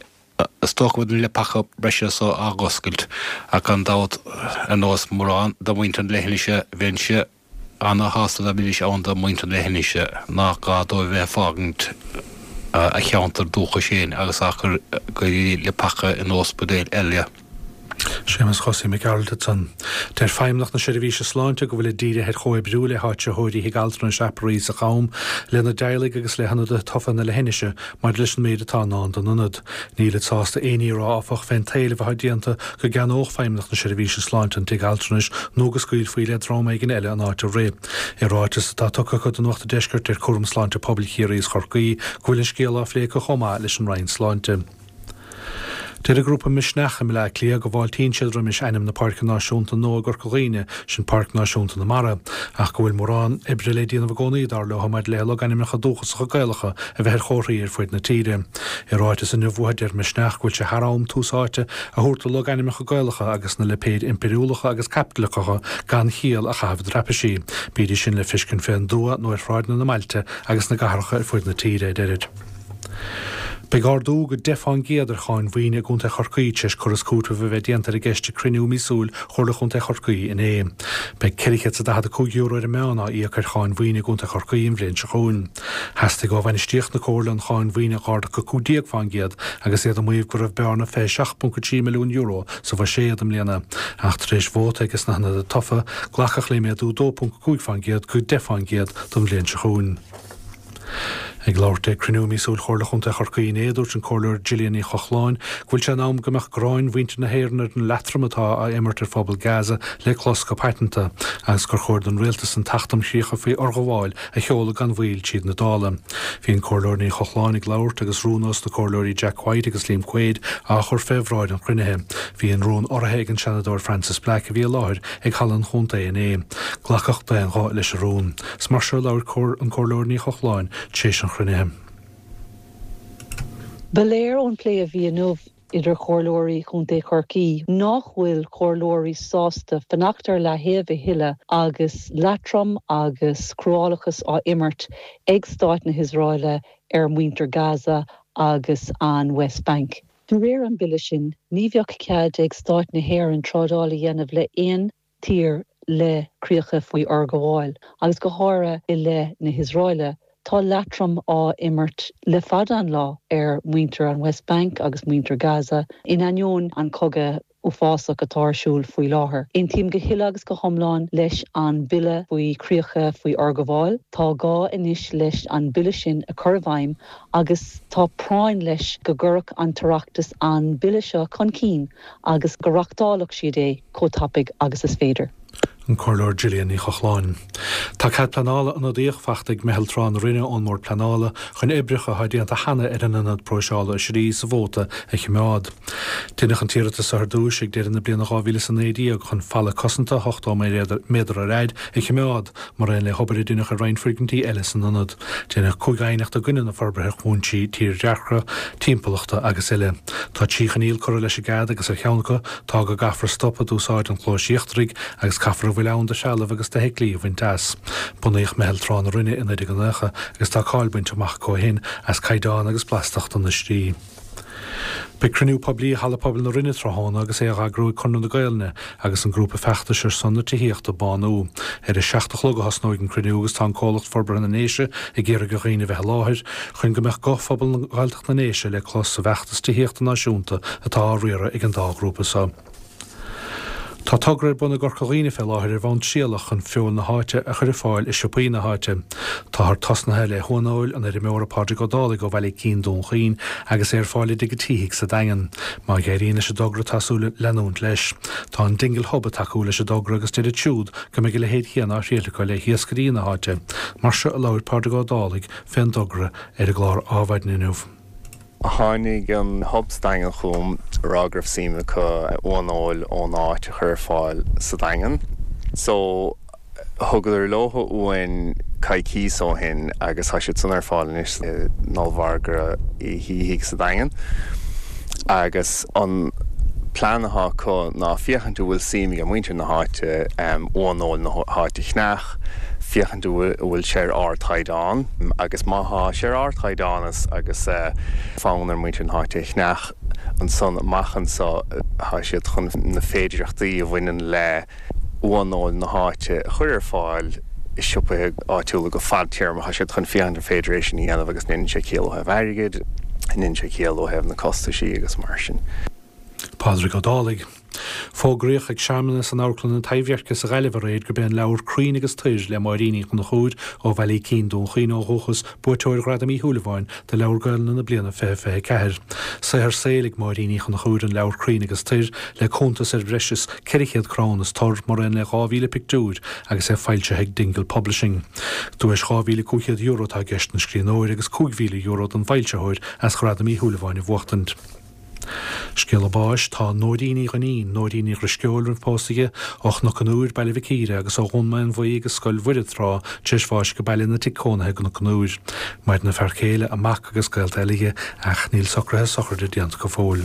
is dócha go bhfuil na leapacha breise so á dh'oscailt ach gan dabht ar nós mórán de mhuintir na leithinise bheinnse ana-shásta dá mbeidís ann do mhuintir na leithinise nach gá dóibh bheith ag fágaint a cheantar dúchais féin agus á chur go dtí leapacha in ospidéil eile. Séamus Chosaí Mac Gearailt ansan. Deir Feidhmeannacht na Seirbhíse Sláinte go bhfuilid dírithe ar chomhoibriú le háitritheoirí Thigh Altranais Apari sa Cham, lena dteaghlaigh agus le hionadaithe tofa na leithinise maidir leis an méid atá i ndán don ionad. Nílid sásta aon ní a rá, áfach, fén t-éileamh atá déanta go gceannódh Feidhmeannacht na Seirbhíse Sláinte an tigh altranais nó go scaoilfí le dream éigin eile an áit a rith. I ráiteas atá tugtha acu do Nuacht an Deiscirt, deir Cúram Sláinte Pobail Chiarraí is Chorcaí go bhfuil an scéal á phlé acu chomh maith leis an Roinn Sláinte. Deir an grúpa Misneach i mBleá Cliath go bhfáiltíonn siad roimis ainm na Páirce Náisiúnta nua i gCorca Dhuibhne, sin Páirc Náisiúnta na Mara, ach go bhfuil mórán oibre le déanamh i gcónaí, dar leo, maidir le logainmneacha dúchasacha Gaelacha a bheith ar chomharthaí ar fuid na tíre. I ráiteas inniu uathu, deir Misneach go bhfuil sé thar am tús áite a thabhairt do logainmneacha Gaelacha agus na lipéid impiriúlacha agus caipitleacha gan chiall a chaitheamh i dtraipisí, bídís sin le feiscint fén dtuath nó ar shráideanna na mbailte agus na gcathracha ar fuid na tíre, a deirid. Beidh ardú go deich fán gcéad ar cháin mhaoine i gContae Chorcaí tar éis cur is cúiteamh a bheith déanta ar an gceist ag cruinniú míosúil Chomhairle Chontae Chorcaí inné. Beidh ceithre chéad is a daichead a cúig euro ar an meán á íoc ar cháin mhaoine i gContae Chorcaí an bhliain seo chugainn. Theastaigh ó bhainistíocht na Comhairle an cháin mhaoine a dh'ardú go cúig déag fán gcéad agus iad ag maíomh go raibh bearna fiche seacht ponc a trí milliún euro sa bhuiséad i mbliana. Ach tar éis vóta aige sna hionadaithe tofa, glacadh le méadú dó ponc a cúig fán gcéad go deich fán gcéad don bhliain seo chugainn. Ag labhairt ag cruinniú míosúil Chomhairle Chontae Chorcaí inné, dúirt an Comhairleoir Gillian Ní Chochláin go bhfuil sé in am go mbeadh gráin mhuintir na hÉireann ar an leatrom atá á imirt ar phobal Gaza le clos go paiteanta agus gur chóir don rialtas an tAcht um Chríocha faoi Fhorghabháil a sheoladh gan mhoill tríd na Dála. Bhí an Comhairleoir Ní Chochláin ag labhairt agus rún ós na Comhairleoirí Jack White agus Liam Quaid á chur fé bhráid an chruinnithe. Bhí an rún urraithe ag an Seanadóir Frances Black a bhí i láthair ag Halla an Chontae inné. Glacadh d'aon ghuth leis an rún. Is mar seo a labhair an Comhairleoir Ní Chochláin tar éis an chruinnithe. Ba léir ón plé a bhí inniu idir chomhairleoirí Chontae Chorcaí nach bhfuil comhairleoirí sásta fanacht ar leaththaobh a thuilleadh agus leatrom agus cruálachas á imirt ag Stát na hIosraeile ar mhuintir Gaza agus an West Bank. De réir an bille sin, ní bheadh cead ag Stát na hÉireann trádáil a dhéanamh le haon tír le críocha faoi fhorghabháil, agus go háirithe i leith na hIosraeile. Tá leatrom á imirt le fada an lá ar mhuintir an West Bank agus muintir Gaza, in ainneoin an cogadh uafásach atá ar siúl faoi láthair. Aontaím go huile agus go hiomlán leis an bille faoi chríocha faoi fhorghabháil. Tá gá anois leis an bille sin a chur i bhfeidhm agus tá práinn leis go gcuirfeadh an tOireachtas an bille seo chun cinn agus go reachtálfadh siad é chomh tapaidh agus is féidir. An Comhairleoir Gillian Ní Chochláin. Tá cead pleanála ionadaíoch faighte ag Meitheal Trá na Rinne ón mBord Pleanála chun oibreacha atá déanta cheana ar an ionad próiseála oisrí sa Mhóta a choimeád. Deineadh an t-iarratas ar dtús ag deireadh na bliana dhá mhíle is a naoi déag chun falla cosanta ochtó méadar ar fhaid a choimeád, mar aon le hobair a deineadh ar roinnt foirgintí eile san ionad. Deineadh cúig aighneacht i gcoinne na forbartha ar chúinsí tírdhreacha, timpeallachta agus eile. Tá trí choinníoll curtha leis an gcead agus ar cheann acu tá go gcaithfear stopadh d'úsáid an chlóis íochtaraigh agus caithfear a bhfuil ann de threalamh agus d'fheithiclí a bhaint as. Bunaíodh Meitheal Trá na Rinne i naoi déag nócha agus tá cáil bainte amach acu ó shin as caighdeán agus blastacht na n-oisrí. Beidh cruinniú poiblí i Halla Pobail na Rinne tráthnóna agus é á eagrú ag Conradh na Gaelainne agus an grúpa feachtais ar son na tithíochta, Bánú. Ar a seacht a chlog a thosnóidh an cruinniú agus tá an comhlacht Forbartha na nDéise ag iarraidh ar dhaoine bheith i láthair chun go mbeadh guth phobal Ghaeltacht na nDéise le clos sa bhfeachtas tithíochta náisiúnta atá á riaradh ag an dá ghrúpa seo. Tá togra ar bun i gCorca Dhuibhne fé láthair ar bhonn trialach chun feoil na háite a chur ar fáil i siopaí na háite. Táthar tosnaithe le huanfheoil an fheirmeora Pádraig Ó Dálaigh ó Bhaile Cinn, Dún Chaoin agus é ar fáil i dTigh an tSíthigh sa Daingean. Má éiríonn leis an dtogra tá súil leanúint leis. Tá an Dingle Hub ag tacú leis an dtogra agus deir siad siúd go mbeidh a leithéid chéanna á thriail acu le hiascairí na háite. Mar seo a labhair Pádraig Ó Dálaigh fén dtogra ar an gclár Adhmhaidin inniu. Tháinig an Hub sa Daingean chugam ag rá go raibh suim acu uanfheoil ón áit a chur ar fáil sa Daingean. So thugadar leo uain coicís ó shin agus tá siad san ar fáil anois in ollmhargadh Uí Shíthigh sa Daingean. Agus an plean atá acu ná féachaint an bhfuil suim ag muintir na háite uanfheoil na háite a cheannach, féachaint an bhfuil sé ar ardchaighdeán agus má tá sé ar ardchaighdeán agus fonn ar muintir na háite é a cheannach ansan amach anseo tá siad chun na féidearthachtaí a bhaineann le uanfheoil na háite a chur ar fáil i siopaí áitiúla go fadtéarmach. Tá siad chun féachaint an féidir é sin a dhéanamh agus an ndéanann sé ciall ó thaobh airgid, an ndéanann sé ciall ó thaobh na costaisí agus mar sin. Pádraig Ó Dálaigh. Fógraíodh ag searmanas in Amharclann an Taibhdheirc sa Ghaillimh aréir gurb é an leabhar Crainn agus Toir le Máirín Uí Chonchúir ó Bhaile Cinn, Dún Chaoin ó dhúchas, buaiteoir Ghradam Uí Shúilleabháin do Leabhar Gaelainne na bliana fiche fiche a ceathair. Saothar saoil ag Máirín Uí Chonchúir an leabhar Crainn agus Toir le cuntas ar bhreis is ceithre chéad crann is tor mar aon le dhá mhíle pictiúr agus é foilsithe ag Dingle Publishing. Duais dhá mhíle cúig chéad euro atá i gceist don scríbhneoir agus cúig mhíle euro don bhfoilsitheoir as Gradam Uí Shúilleabháin a bhuachtaint. Scéala báis, Tá Nóirín Ní Dhuinnín, Nóirín Ní Dhrisceoil roimh pósadh di, ó Chnoc an Iúir, Baile Mhic Íre, agus ó Dhún Maonmhuí agus Scoil Mhuire tráth, tar éis bháis ag baile ina tigh cónaithe i gCnoc an Iúir. Maireann a fear céile, a mac agus gaolta eile di, ach níl socruithe sochraide déanta go fóill.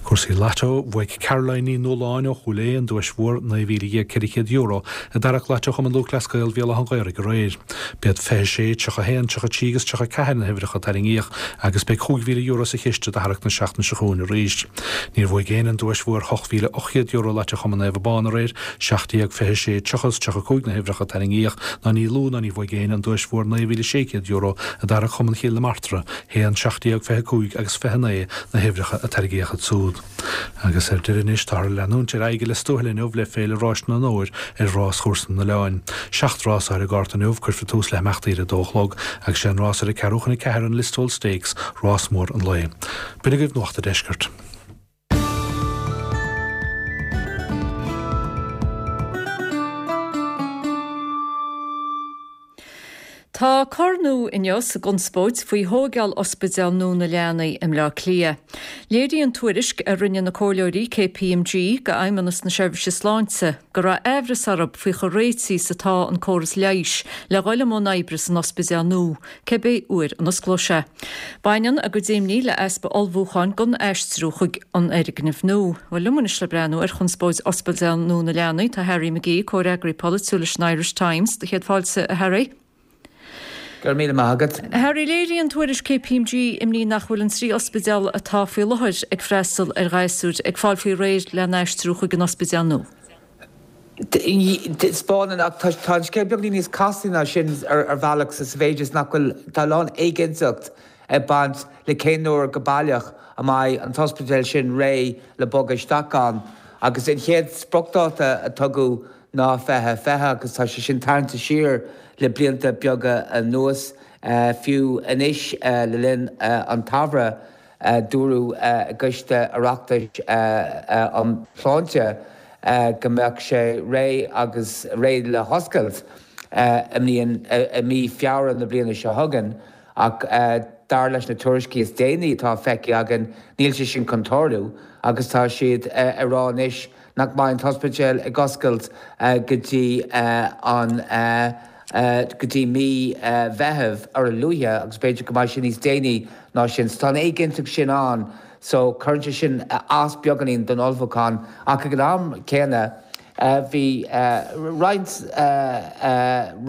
Cúrsaí Lotto, bhuaigh Caroline Ní Nualláin ó Chúil Aodha an duais mhór naoi mhíle dhéag ceithre chéad euro i dtarrac Lotto Chumann Lúthchleas Gael Bhéal Átha an Ghaorthaidh aréir. B'iad fiche sé, tríocha haon, tríocha trí agus tríocha ceathair na huimhreacha a tarraingíodh agus beidh cúig mhíle euro sa chiste do tharrac na seachtaine seo chugainn arís. Níor bhuaigh éinne an duais mhór ocht mhíle ocht gcéad euro Lotto Chumann Naomh Abán aréir, seacht déag, fiche sé, tríocha is tríocha cúig na huimhreacha a tarraingíodh ná ní lú ná ní bhuaigh éinne an duais mhór naoi mhíle sé chéad euro i dtarrac Chumann Chill na Martra, haon, seacht déag, fiche cúig agus fiche naoi na huimhreacha a tarraingíodh ansúd. Agus ar deireadh anois táthar ag leanúint ar aghaidh i Lios Tuathail inniu le Féile Ráis na nOr ar ráschúrsa na nOileán. Seacht rás ar an gcárta inniu, cuirfear tús le himeachtaí ar a dó a chlog agus sé an rás ar a ceathrú chun a ceathair an Listowel Stakes, rás mór an lae. B'in agaibh Nuacht an Deiscirt. Tá cor nua inniu sa gconspóid faoi thógáil ospidéal nua na leanaí i mBleá Cliath. Léiríonn tuairisc a rinne na comhairleoirí KPMG go Fheidhmeannas na Seirbhíse Sláinte go raibh aimhreas orthu faoi chomh réitithe is atá an córas leighis le dhul i mbun oibre san ospidéal nua, cibé uair a n-osclóidh sé. Baineann a gcuid imní le easpa ullmhúcháin don aistriú chuig an fhoirgneamh nua. Bhuel, liom anois le breathnú ar chonspóid ospidéal nua na leanaí tá Harry McGee, comhfhreagraí polaitiúil leis an Irish Times. Do chéad fáilte, a Harry. Go raibh míle maith agat. Harry, léiríonn tuairisc KPMG imní nach bhfuil an trí ospidéal atá faoi láthair ag freastal ar ghasúir ag fáil faoi réir lena n-aistriú chuig an ospidéal nua. Taispeánann, ach tá an scéal beagán níos casta ná sin ar bhealach sa mhéid is nach bhfuil, tá a lán éiginnteacht ag baint le cén uair go baileach a mbeidh an t-ospidéal sin réidh le bogadh isteach ann. Agus an chéad spriocdháta a tugadh ná fiche fiche agus tá sé sin tarraingte siar le blianta beaga anuas. Fiú anois le linn an tsamhraidh dúradh i gCoiste Oireachtais um Shláinte go mbeadh sé réidh agus réidh le hoscailt i mbliain i mí Feabhra na bliana seo chugainn ach dar leis na tuairiscí is déanaí atá feicthe againn níl sé sin chun tarlú agus tá siad ag rá anois nach mbeidh an t-ospidéal ag oscailt go dtí an go dtí mí Mheithimh ar a luaithe agus b'fhéidir go mbeidh sé níos déanaí ná sin. So tá an éiginnteacht sin ann so cuireann sé sin as beagáinín don ullmhúchán ach ag an am céanna bhí roinnt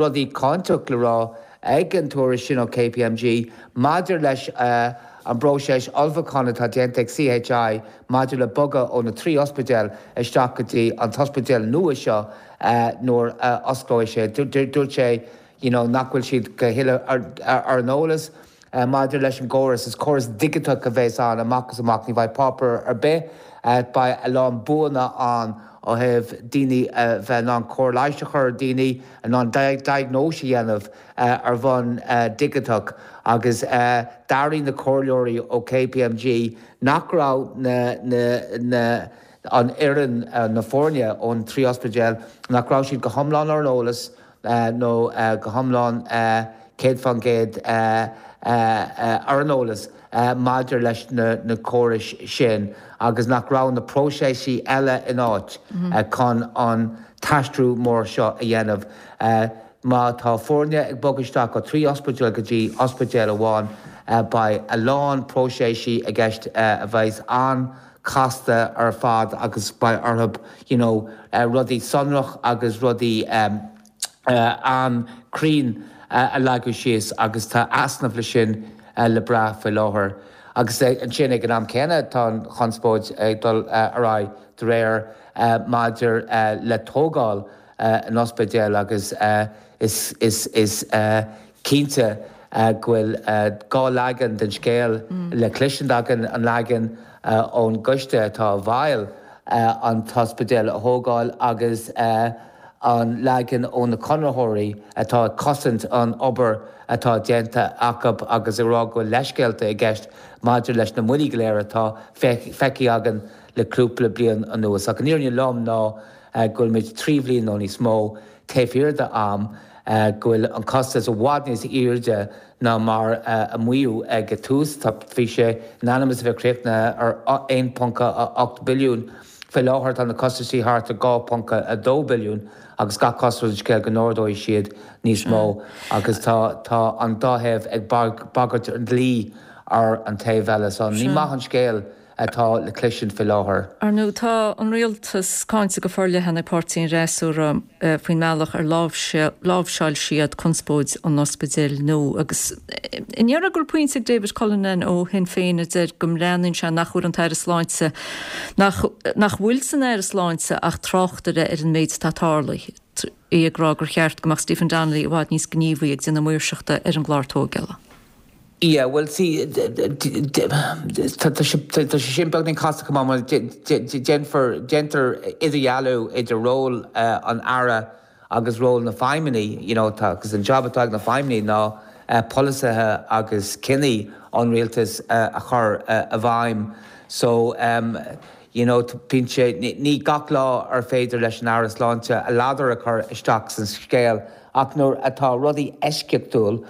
rudaí cáinteach le rá ag an tuairisc sin ó KPMG maidir leis an bpróiseas ullmhúcháin atá déanta ag CHI maidir le bogadh ó na trí ospidéal isteach go dtí an t-ospidéal nua seo nuair a osclóidh sé. Dúirt sé you know nach bhfuil siad go huile ar an eolas maidir leis an gcóras. Is córas digiteach a bheas ann amach is amach, ní bheidh páipéar ar bith. Beidh a lán buanna ann ó thaobh daoine a bheith in ann cóir leighis a chur ar daoine, in ann diagnóis a dhéanamh ar bhonn digiteach agus d'airigh na comhairleoirí ó KPMG nach raibh na na an fhoireann, na foirne ón trí ospidéal, nach raibh siad go hiomlán ar an eolas nó go hiomlán céad faoin gcéad ar an eolas maidir leis na córais sin agus nach raibh na próiseasaí eile in áit chun an t-aistriú mór seo a dhéanamh. Má tá foirne ag bogadh isteach ó trí ospidéal go dtí ospidéal amháin, beidh a lán próiseasaí i gceist a bheas an-chasta ar fad agus beidh orthu you know rudaí sonrach agus rudaí an-chruinn a leagadh síos agus tá easnamh le sin le brath faoi láthair. Agus ansin ag an am céanna tá an chonspóid ag dul ar aghaidh de réir maidir le tógáil an ospidéil agus is is cinnte go bhfuil dhá leagan den scéal le cloisint againn, an leagan ón gcoiste atá i bhfeighil an t-ospidéal a thógáil agus an leagan ó na conraitheoirí atá ag cosaint an obair atá déanta acu agus ag rá go bhfuil leithscéalta i gceist maidir leis na moillí go léir atá feicthe againn le cúpla bliain anuas. Ach an fhírinne lom ná go bhfuil muid trí bhliain nó níos mó taobh thiar d'am, go bhfuil an costas i bhfad níos airde ná mar a maíodh ag an tús. Tá, bhí sé in ainm is a bheith críochnaithe ar aon ponc a ocht billiún. Faoi láthair tá na costaisí thart ar dhá ponc a dó billiún agus gach cosúil ar an scéal go n-ardóidh siad níos mó agus tá tá an dá thaobh ag bagairt an dlí ar an taobh eile. So ní maith an scéal atá le cloisint faoi láthair. Ar ndóigh, tá an rialtas cáinte go forleathan ag páirtí an fhreasúra faoin mbealach ar láimhseáil siad conspóid an ospidéil nua agus an ndéarfá go bhfuil pointe ag David Cullinane ó Shinn Féin a deir go mbreathnaíonn sé nach bhfuil an tAire Sláinte nach nach bhfuil san Aire Sláinte ach tráchtaire ar an méid atá tarlaithe, é ag rá gur cheart go mbeadh Stephen Donnelly i bhfad níos gníomhaí ag déanamh maoirseachta ar an gclár tógála. Yeah, well see, tá sé sin beagáinín casta chomh maith mar déanfar, déantar idirdhealú idir ról an Aire agus ról na feidhmeannaí, you know, tá, agus an job atá ag na feidhmeannaí ná polasaithe agus cinní an rialtais a chur i bhfeidhm. So, um, you know, bíonn sé, ní gach lá ar féidir leis an Aire Sláinte a ladar a chur isteach san scéal ach nuair atá rudaí eisceachtúil,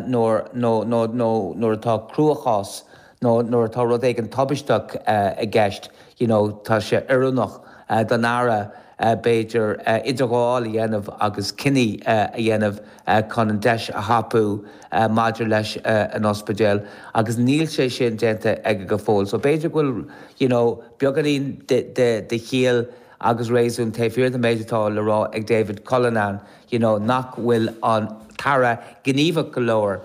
nuair nó nó nó nuair atá cruachás nó nuair atá rud éigin tubaisteach i gceist, you know, tá sé oiriúnach don Aire b'fhéidir idirghabháil a dhéanamh agus cinní a dhéanamh chun an deis a thapú maidir leis an ospidéal agus níl sé sin déanta aige go fóill. So b'fhéidir go bhfuil, you know, beagáinín de de de chiall agus réasún taobh thiar den méid atá le rá ag David Cullinane, you know, nach bhfuil an tAire gníomhach go leor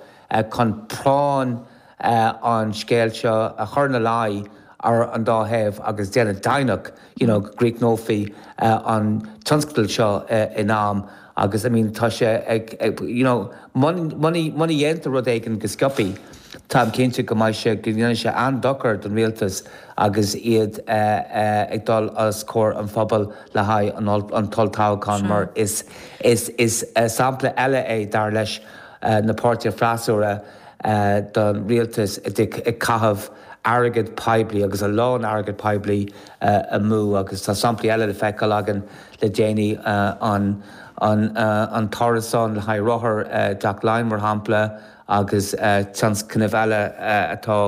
chun práinn an scéil seo a chur ina luí ar an dá thaobh agus déanamh deimhneach, you know, go gcríochnófaí an tionscadal seo in am agus, I mean, tá sé ag, you know, muna dhéantar rud éigin go sciobtha, táim cinnte go mbeidh sé, go ndéanfaidh sé an-dochar don rialtas agus iad ag dul os comhair an phobail le haghaidh an t-olltoghchán mar is is is sampla eile é dar leis na páirtithe freasúra don rialtas ag caitheamh airgead poiblí agus a lán airgead poiblí amú agus tá samplaí eile le feiceáil againn le déanaí an an an t-árasán le haghaidh rothar i dTeach Laighean mar shampla agus tionscnaimh eile atá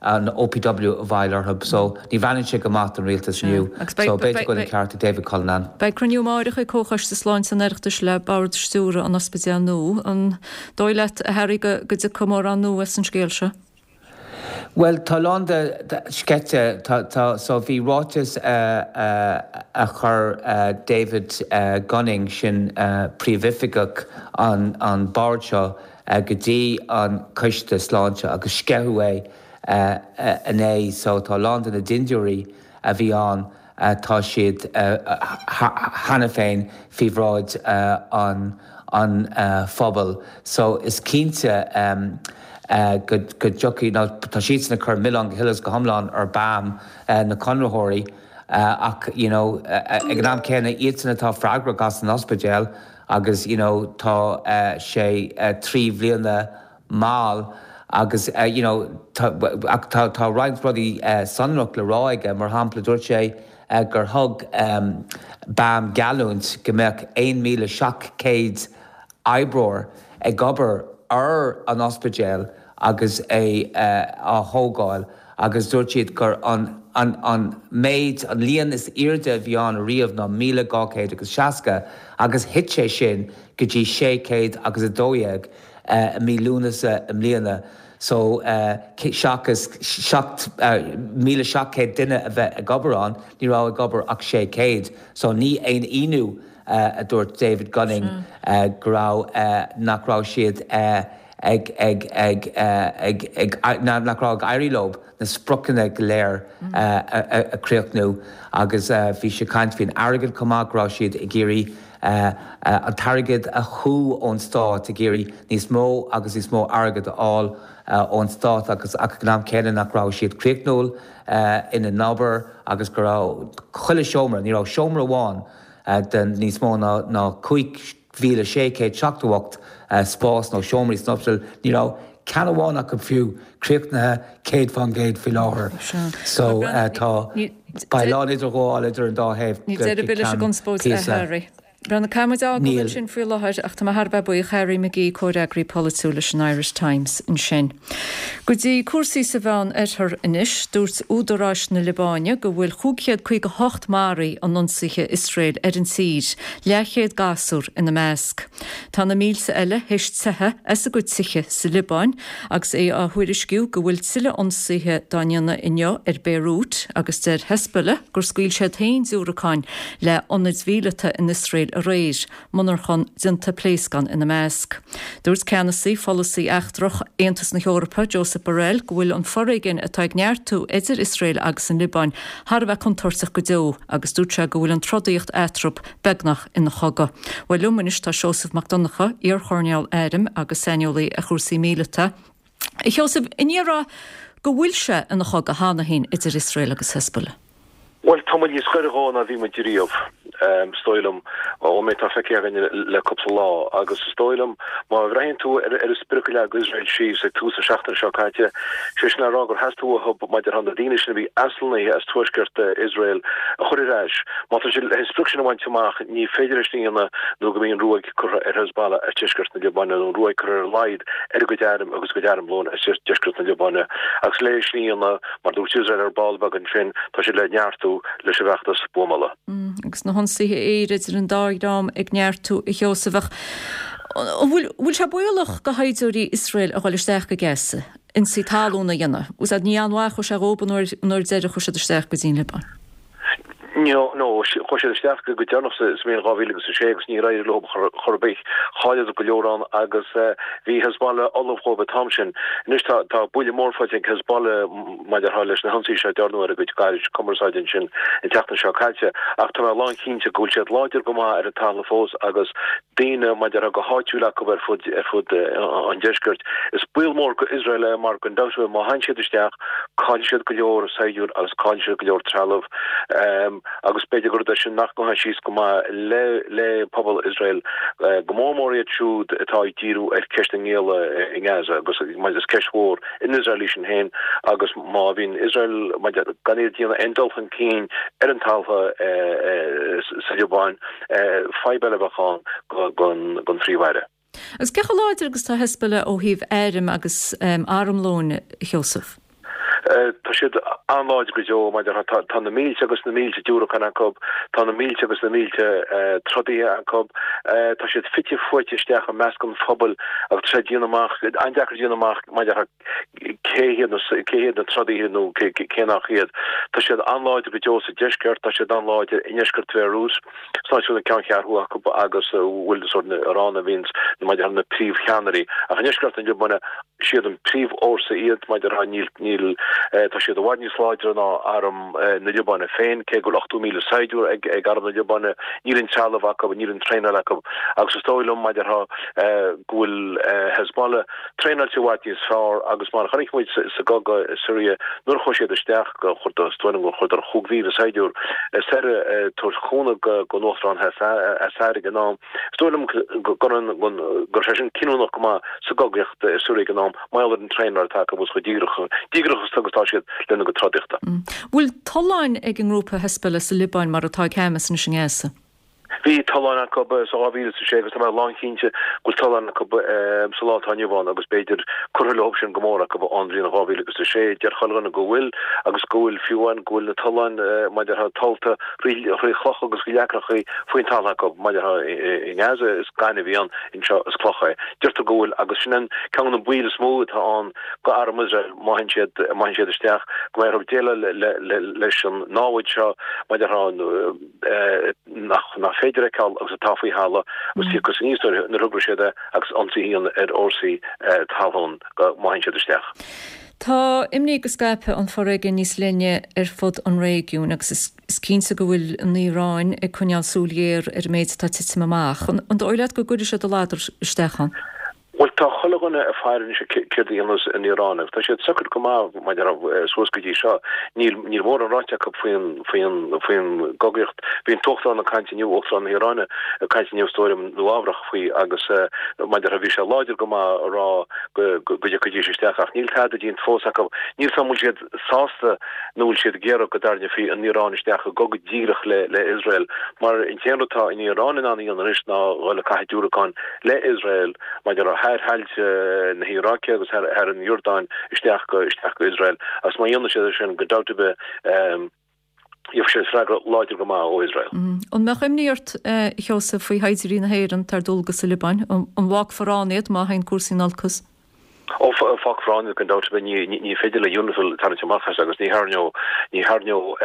an OPW i bhfeighil orthu. So ní bhreathnaíonn sé go maith don rialtas inniu. So b'fhéidir go bhfuil an ceart ag David Cullinane. Beidh cruinniú amárach ag Comhchoiste Sláinte an Oireachtais le Bord Stiúrtha an Ospidéil Nua. An dóigh leat, a Harry, go dtiocfaidh mórán nua as an scéal seo? Bhuel, tá a lán de sceite, tá, tá, so bhí ráiteas a chuir David Gunning, sin príomhoifigeach an an bord seo, go dtí an Coiste Sláinte agus sceitheadh é inné, so tá a lán de na dindiúirí a bhí ann, tá siad cheana féin faoi bhráid an an phobail. So is cinnte go dtiocfaidh, nó tá siadsan ag cur milleán go huile is go hiomlán ar BAM, na conraitheoirí, ach you know ag an am céanna iadsan atá freagrach as an ospidéal agus you know tá sé trí bhliana mall agus you know tá ach tá tá roinnt rudaí sonrach le rá aige, mar shampla dúirt sé gur thug BAM geallúint go mbeadh aon míle seacht céad oibreoir ag obair ar an ospidéal agus é á thógáil agus dúirt siad gur an an an méid, an líon is airde a bhí ann ariamh ná míle dhá chéad agus seasca agus thit sé sin go dtí sé chéad agus a dó dhéag i mí Lúnasa i mbliana. So seachas seacht, míle seacht céad duine a bheith ag obair ann, ní raibh ag obair ach sé chéad. So ní aon ionadh a dúirt David Gunning go raibh, nach raibh siad ag, ag, ag, ag, ag, nach raibh ag éirí leo na spriocanna go léir a chríochnú agus bhí sé ag caint faoin airgead chomh maith, go raibh siad ag iarraidh an t-airgead a shú ón stát, ag iarraidh níos mó agus níos mó airgead a fháil ón stát agus ach ag an am céanna nach raibh siad críochnúil ina n-obair agus go raibh chuile seomra, ní raibh seomra amháin den níos mó ná ná cúig mhíle sé chéad seachtó ocht spás nó seomraí san ospidéal, ní raibh ceann amháin acu fiú críochnaithe céad fán gcéad faoi láthair. So tá, beidh a lán idirghabháil idir an dá thaobh Níl deireadh ar bith leis an gconspóid, a Harry. Breathnaigh, caithfidh muid fhágáil ansin faoi láthair ach tá mé thar a bheith buíoch, Harry McGee, comhfhreagraí polaitiúil leis an Irish Times ansin. Go dtí cúrsaí sa Mheán Oirthear anois, dúirt údaráis na Liobáine go bhfuil chúig chéad caoga hocht maraithe in ionsaithe Iosrael ar an tír, leathchéad gasúr ina measc. Tá na mílte eile théis teitheadh as a gcuid tithe sa Liobáin agus é á thuairisciú go bhfuil tuilleadh ionsaithe dá ndéanamh inniu ar Beirut agus deir Hezbollah gur scaoil siad féin diúracáin le hionaid mhíleata in Iosrael aréir, monarchan déanta pléascán ina measc. Dúirt ceannasaí pholasaí eachtrach Aontas na hEorpa, Josep Borrell, go bhfuil an foréigean atá ag neartú idir Iosrael agus an Liobáin thar a bheith contúirteach go deo agus dúirt sé go bhfuil an trodaíocht eatarthu beagnach ina chogadh. Bhuel liom anois tá Seosamh Mac Donncha, iar-choirnéal airm agus saineolaí ar chúrsaí míleata. A Sheosaimh, an ndéarfá go bhfuil sé ina chogadh cheana féin idir Iosrael agus Hezbollah? Bhuel, tá muid níos gaire dhó ná bhí muid riamh, is dóigh liom, ón méid atá feicthe againn le cúpla lá. Agus is dóigh liom, má bhreathnaíonn tú ar an sprioc a leag Iosrael síos ag tús na seachtaine seo caite, sé sin le rá gur theastaigh uathu maidir leis na daoine sin a bhí athlonnaithe as tuaisceart Iosrael a chur ar ais. Má tá siad leis an sprioc sin a bhaint amach, ní féidir é sin a dhéanamh nó go mbeidh an ruaig curtha ar Hezbollah as deisceart na Liobáine, nó an ruaig curtha ar a laghad ar a gcuid airm agus a gcuid armlóin as deisceart na Liobáine. Agus le é sin a dhéanamh, Mar dúirt Iosrael ar ball beag ansin, tá siad le neartú leis an bhfeachtas buamála. Agus na hionsaithe aeir idir an dá dhream ag neartú, a Sheosaimh, ach an bhfuil sé baolach do shaighdiúirí Iosrael a dhul isteach go Gaza, ionsaí talún a dhéanamh? Ní an-mhaith a chuaigh sé dhóibh an uair deiridh a chuaigh siad isteach go dtí an Liobáin. No, no, chuaigh siad isteach go deireanach sa mbliain dhá mhíle agus a sé agus níor éirigh leo chor ar bith. Chailleadar go leor ann agus bhí Hezbollah ullamh dhóibh an t-am sin. Anois tá tá buille mór faighte ag Hezbollah maidir leis na hionsaithe seo a dearnadh ar a gcuid gairis cumarsáide ansin an tseachtain seo caite ach tá mé lánchinnte go bhfuil siad láidir go maith ar an talamh fós agus daoine maidir go háitiúil acu ar fud ar fud an deiscirt. Is baol mór go Iosrael é mar gan dabht má théann siad isteach caillfidh siad go leor saighdiúir agus caillfidh siad go leor trealamh agus b'fhéidir gur rud é sin nach ngabhfaidh síos go maith le le pobal Iosrael, go mór mór iad siúd atá ag díriú ar cheist na ngialla i nGaza agus is ceist mhór in Iosrael í sin féin agus má bhíonn Iosrael gan iad ag déanamh aon dul chun cinn ar an talamh sa Liobáin, Fadhb eile a bheadh ann don Phríomh-Aire. Agus cé chomh láidir agus atá Hezbollah ó thaobh airm agus armlóin, a Sheosaimh? Tá siad an-láidir go deo, mar tá na mílte agus na mílte diúracán acu, tá na mílte agus na mílte trodaithe acu, tá siad fite fuaite isteach i measc an phobail agus tá sé déanamh amach, an-deacair déanamh amach maidir cé hiad na cé hiad na trodaithe nó cé nach iad. Tá siad an-láidir go deo sa deisceart, tá siad an-láidir i ndeisceart Bhéiriút, san áit a bhfuil an ceanncheathrú acu agus a bhfuil sórt na Iran a bhíonns maidir na príomhcheannairí. Ach i ndeisceart na Liobáine, siad an príomhfhórsa iad maidir níl níl tá siad i bhfad níos láidre ná arm na Liobáine féin, cé go bhfuil ochtó míle saighdiúir ag ag arm na Liobáine, níl an trealamh acu, níl an traenáil acu agus is dóigh liom maidir go bhfuil Hezbollah Traenáilte i bhfad níos fearr agus mar a chonaic muid sa gcogadh i Siria nuair a chuaigh siad isteach gur is dóigh liom gur chuireadar chúig mhíle saighdiúir soir ag tabhairt cúnamh don Uachtarán Assad ag an am. Is dóigh liom go raibh sé sin cinniúnach go maith sa gcogaíocht i Siria ag an am mar gheall ar an traenáil atá acu agus chomh díograiseach agus atá siad lena gcuid trodaíochta. Bhfuil tolláin ag an ngrúpa Hezbollah sa Liobáin mar atá ag Hamas anois i nGaza? Bhí tolláin acu sa dhá mhíle is a sé agus tá mé lánchinnte go bhfuil tolláin acu sa lá atá inniu ann agus b'fhéidir curtha leo sin go mór acu ón bhliain dhá mhíle agus a sé. Deir chuile dhuine go bhfuil agus go bhfuil fiú amháin go bhfuil na tolláin maidir le tollta thrí chlocha agus thrí leacrachaí faoin talamh acu maidir i nGaza is gaineamh a bhí ann, anseo is cloch é. Deirtear go bhfuil agus sin an ceann de na baoil is mó atá ann go arm Iosrael má théann siad má théann siad isteach go mbeidh orthu déileáil leis an námhaid seo maidir nach nach féidir a fheiceáil agus atá faoi thalamh agus tíocfaidh aníos nuair a thograíonn siad é agus ionsaí a dhéanamh ar fhórsaí talún má théann siad isteach. Tá imní go scaipfidh an foréigean níos leithne ar fud an réigiúin agus is cinnte go bhfuil an Iaráin ag coinneáil súil ghéar ar an méid atá ag titim amach. An dóigh leat go gcuirfidh siad a ladar isteach ann? Bhuel, Tá chuile dhuine ag faire anois céard a dhéanfas an Iaráin agus tá siad socair go maith maidir suas go dtí seo. Níl níl mórán ráite acu faoin faoin faoin gcogaíocht. Bhí an tUachtarán ag caint inniu, Uachtarán na hIaráine ag caint inniu is dóigh liom Nua-Eabhrac faoi agus maidir bhí sé láidir go maith a rá go go dtiocfaidís isteach ach níl tada déanta fós acu. Níl 's agam an bhfuil siad sásta nó bhfuil siad ag iarraidh go dtarraingeofaí an Iaráin isteach i gcogadh díreach le le Iosrael mar an t-aon rud atá an Iaráin in ann a dhéanamh anois ná dhul ag caitheamh diúracán le Iosrael maidir le thar thailte na hIaráice agus thar thar an Iordáin isteach go isteach go Iosrael agus má dhéanann siad é sin gan dabht ar bith gheobhaidh siad freagra láidir go maith ó Iosrael. An mbeadh imní ort, a Sheosaimh, faoi shaighdiúirí na hÉireann atá ar dualgas sa Liobáin? An bhfágfar ann iad má théann cúrsaí in olcas? Ó, fágfar ann iad gan dabht ar bith. Ní féidir le UNIFIL tarraingt amach as agus ní tharraingeodh, ní tharraingeodh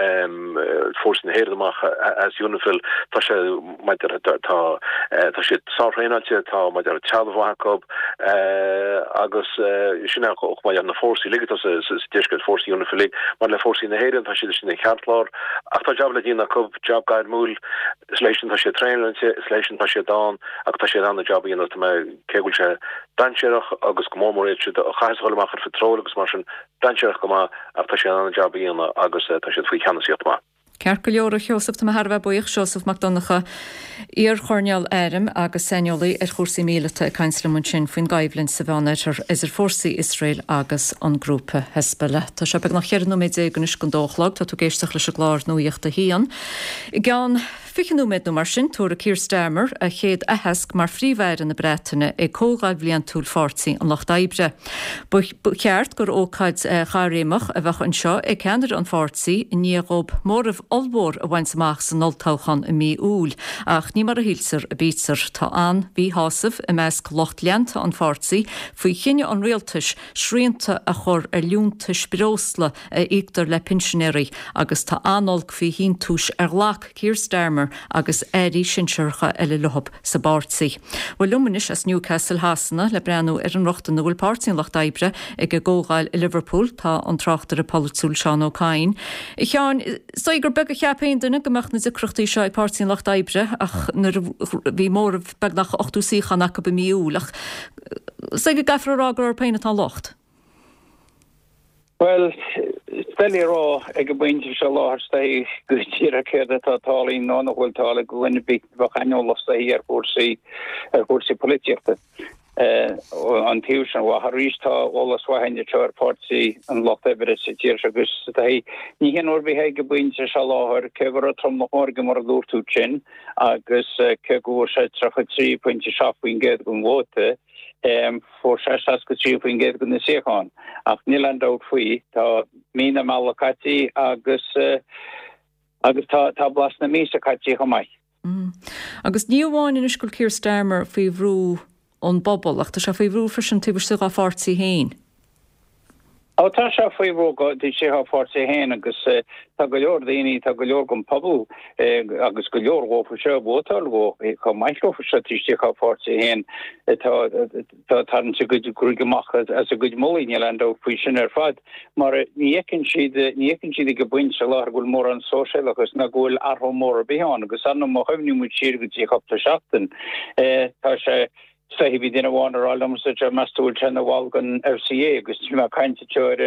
fórsaí na hÉireann amach as UNIFIL. Tá sé, maidir, tá, tá siad sár-thraenáilte, tá, maidir, trealamh maith acu agus sin é chomh maith le na fórsaí uilig atá sa deisceart, fórsaí UNIFIL uilig, maidir le fórsaí na hÉireann, tá siad istigh ina cheartlár ach tá jab le déanamh acu, jab gairmiúil, is leis sin tá siad traenáilte, is leis sin tá siad ann agus tá siad in ann an jab a dhéanamh, tá mé, cé go bhfuil sé dainséarach agus go mór mór iad siúd a chaithfeas a dhul amach ar phatról agus mar sin, dainséarach go maith ach tá siad in ann an jab a dhéanamh agus tá siad faoi cheannasaíocht maith. Ceart go leor, a Sheosaimh, tá mé thar a bheith buíoch. Seosamh Mac Donncha, iar-choirnéal airm agus saineolaí ar chúrsaí míleata ag caint liom ansin faoin gcoimhlint sa Mheánoirthear idir fórsaí Iosrael agus an grúpa Hezbollah. Tá sé beagnach cheithre nóiméad déag anois don dó a chlog. Tá tú ag éisteacht leis an gclár Nuacht a hAon. I gceann fiche nóiméad nó mar sin, tabharfaidh Keir Starmer a chéad aitheasc mar Phríomh-Aire na Breataine ag Comhdháil Bhliantúil Pháirtí an Lucht Oibre. Ba cheart gur ócáid chaithréimeach a bheadh anseo ag ceannaire an pháirtí i ndiaidh dhóibh móramh ollmhór a bhaint amach san olltoghchán i mí Iúil, ach ní mar a shíltear a bítear. Tá an-mhíshásamh i measc lucht leanta an pháirtí faoi chinneadh an rialtais srianta a chur ar liúntais breosla a íoctar le pinsinéirí agus tá an-olc faoi shíntiúis ar ghlac Keir Starmer agus airí sinsearacha eile leo sa bpáirtí. Bhuel liom anois as Newcastle Shasana le breathnú ar an rochtain a bhfuil Páirtí an Lucht Oibre ag a gcomhdháil i Liverpool tá an tráchtaire polaitiúil Seán Ó Cadhain. A Sheáin, is dóigh gur beag a cheap aon duine go mbeadh na deacrachtaí seo ag Páirtí an Lucht Oibre ach nuair a bhí móramh beagnach ochtó suíochán acu i mí Iúil ach is dóigh go gcaithfear a rá gur orthu féin atá an locht. Bhuel, is doiligh a rá ag an bpointe seo láthair is dóichí go díreach céard atá tarlaithe nó nach bhfuil tarlaithe do dhuine ar bith a bheadh aineolach is dóichí ar chúrsaí ar chúrsaí polaitíochta. An taobh sin mhaith arís tá eolas mhaith againn anseo ar Pháirtí an Lucht Oibre sa tír seo agus is dóichí ní hionadh ar bith é ag an bpointe seo láthair cé go raibh tromlach mór aige mar a dúirt tú sin agus cé go bhfuair sé tríocha trí pointe seacht faoin gcéad den vóta Fuair sé seasca trí faoin gcéad de na suíocháin, ach níl aon dabht faoi, tá mí na meala caite agus agus tá tá blas na míosa caite chomh maith. Agus ní amháin anois go bhfuil Keir Starmer faoi bhrú ón bpobal, ach tá sé faoi bhrú freisin taobh istigh dá pháirtí féin. Ó tá sé faoi bhrú taobh istigh dá pháirtí féin agus tá go leor daoine, tá go leor den phobal agus go leor dhófa seo a vótáil dhó chomh maith leofa seo taobh istigh dá pháirtí féin atá ag tarraingt a gcuid gruaige amach as a gcuid mullaí, níl aon dabht faoi sin ar fad mar ní fheiceann siad, ní fheiceann siad ag an bpointe seo láthair go bhfuil mórán sóisialachas ná go bhfuil athrú mór ar bith ann agus ar ndóigh má chuimhníonn muid siar go dtí cúpla seachtain tá sé Is dóichí bhí duine amháin ag rá liomsa anseo, meas tú bhfuil sé ina bhall den FCA agus níl mé ag caint anseo ar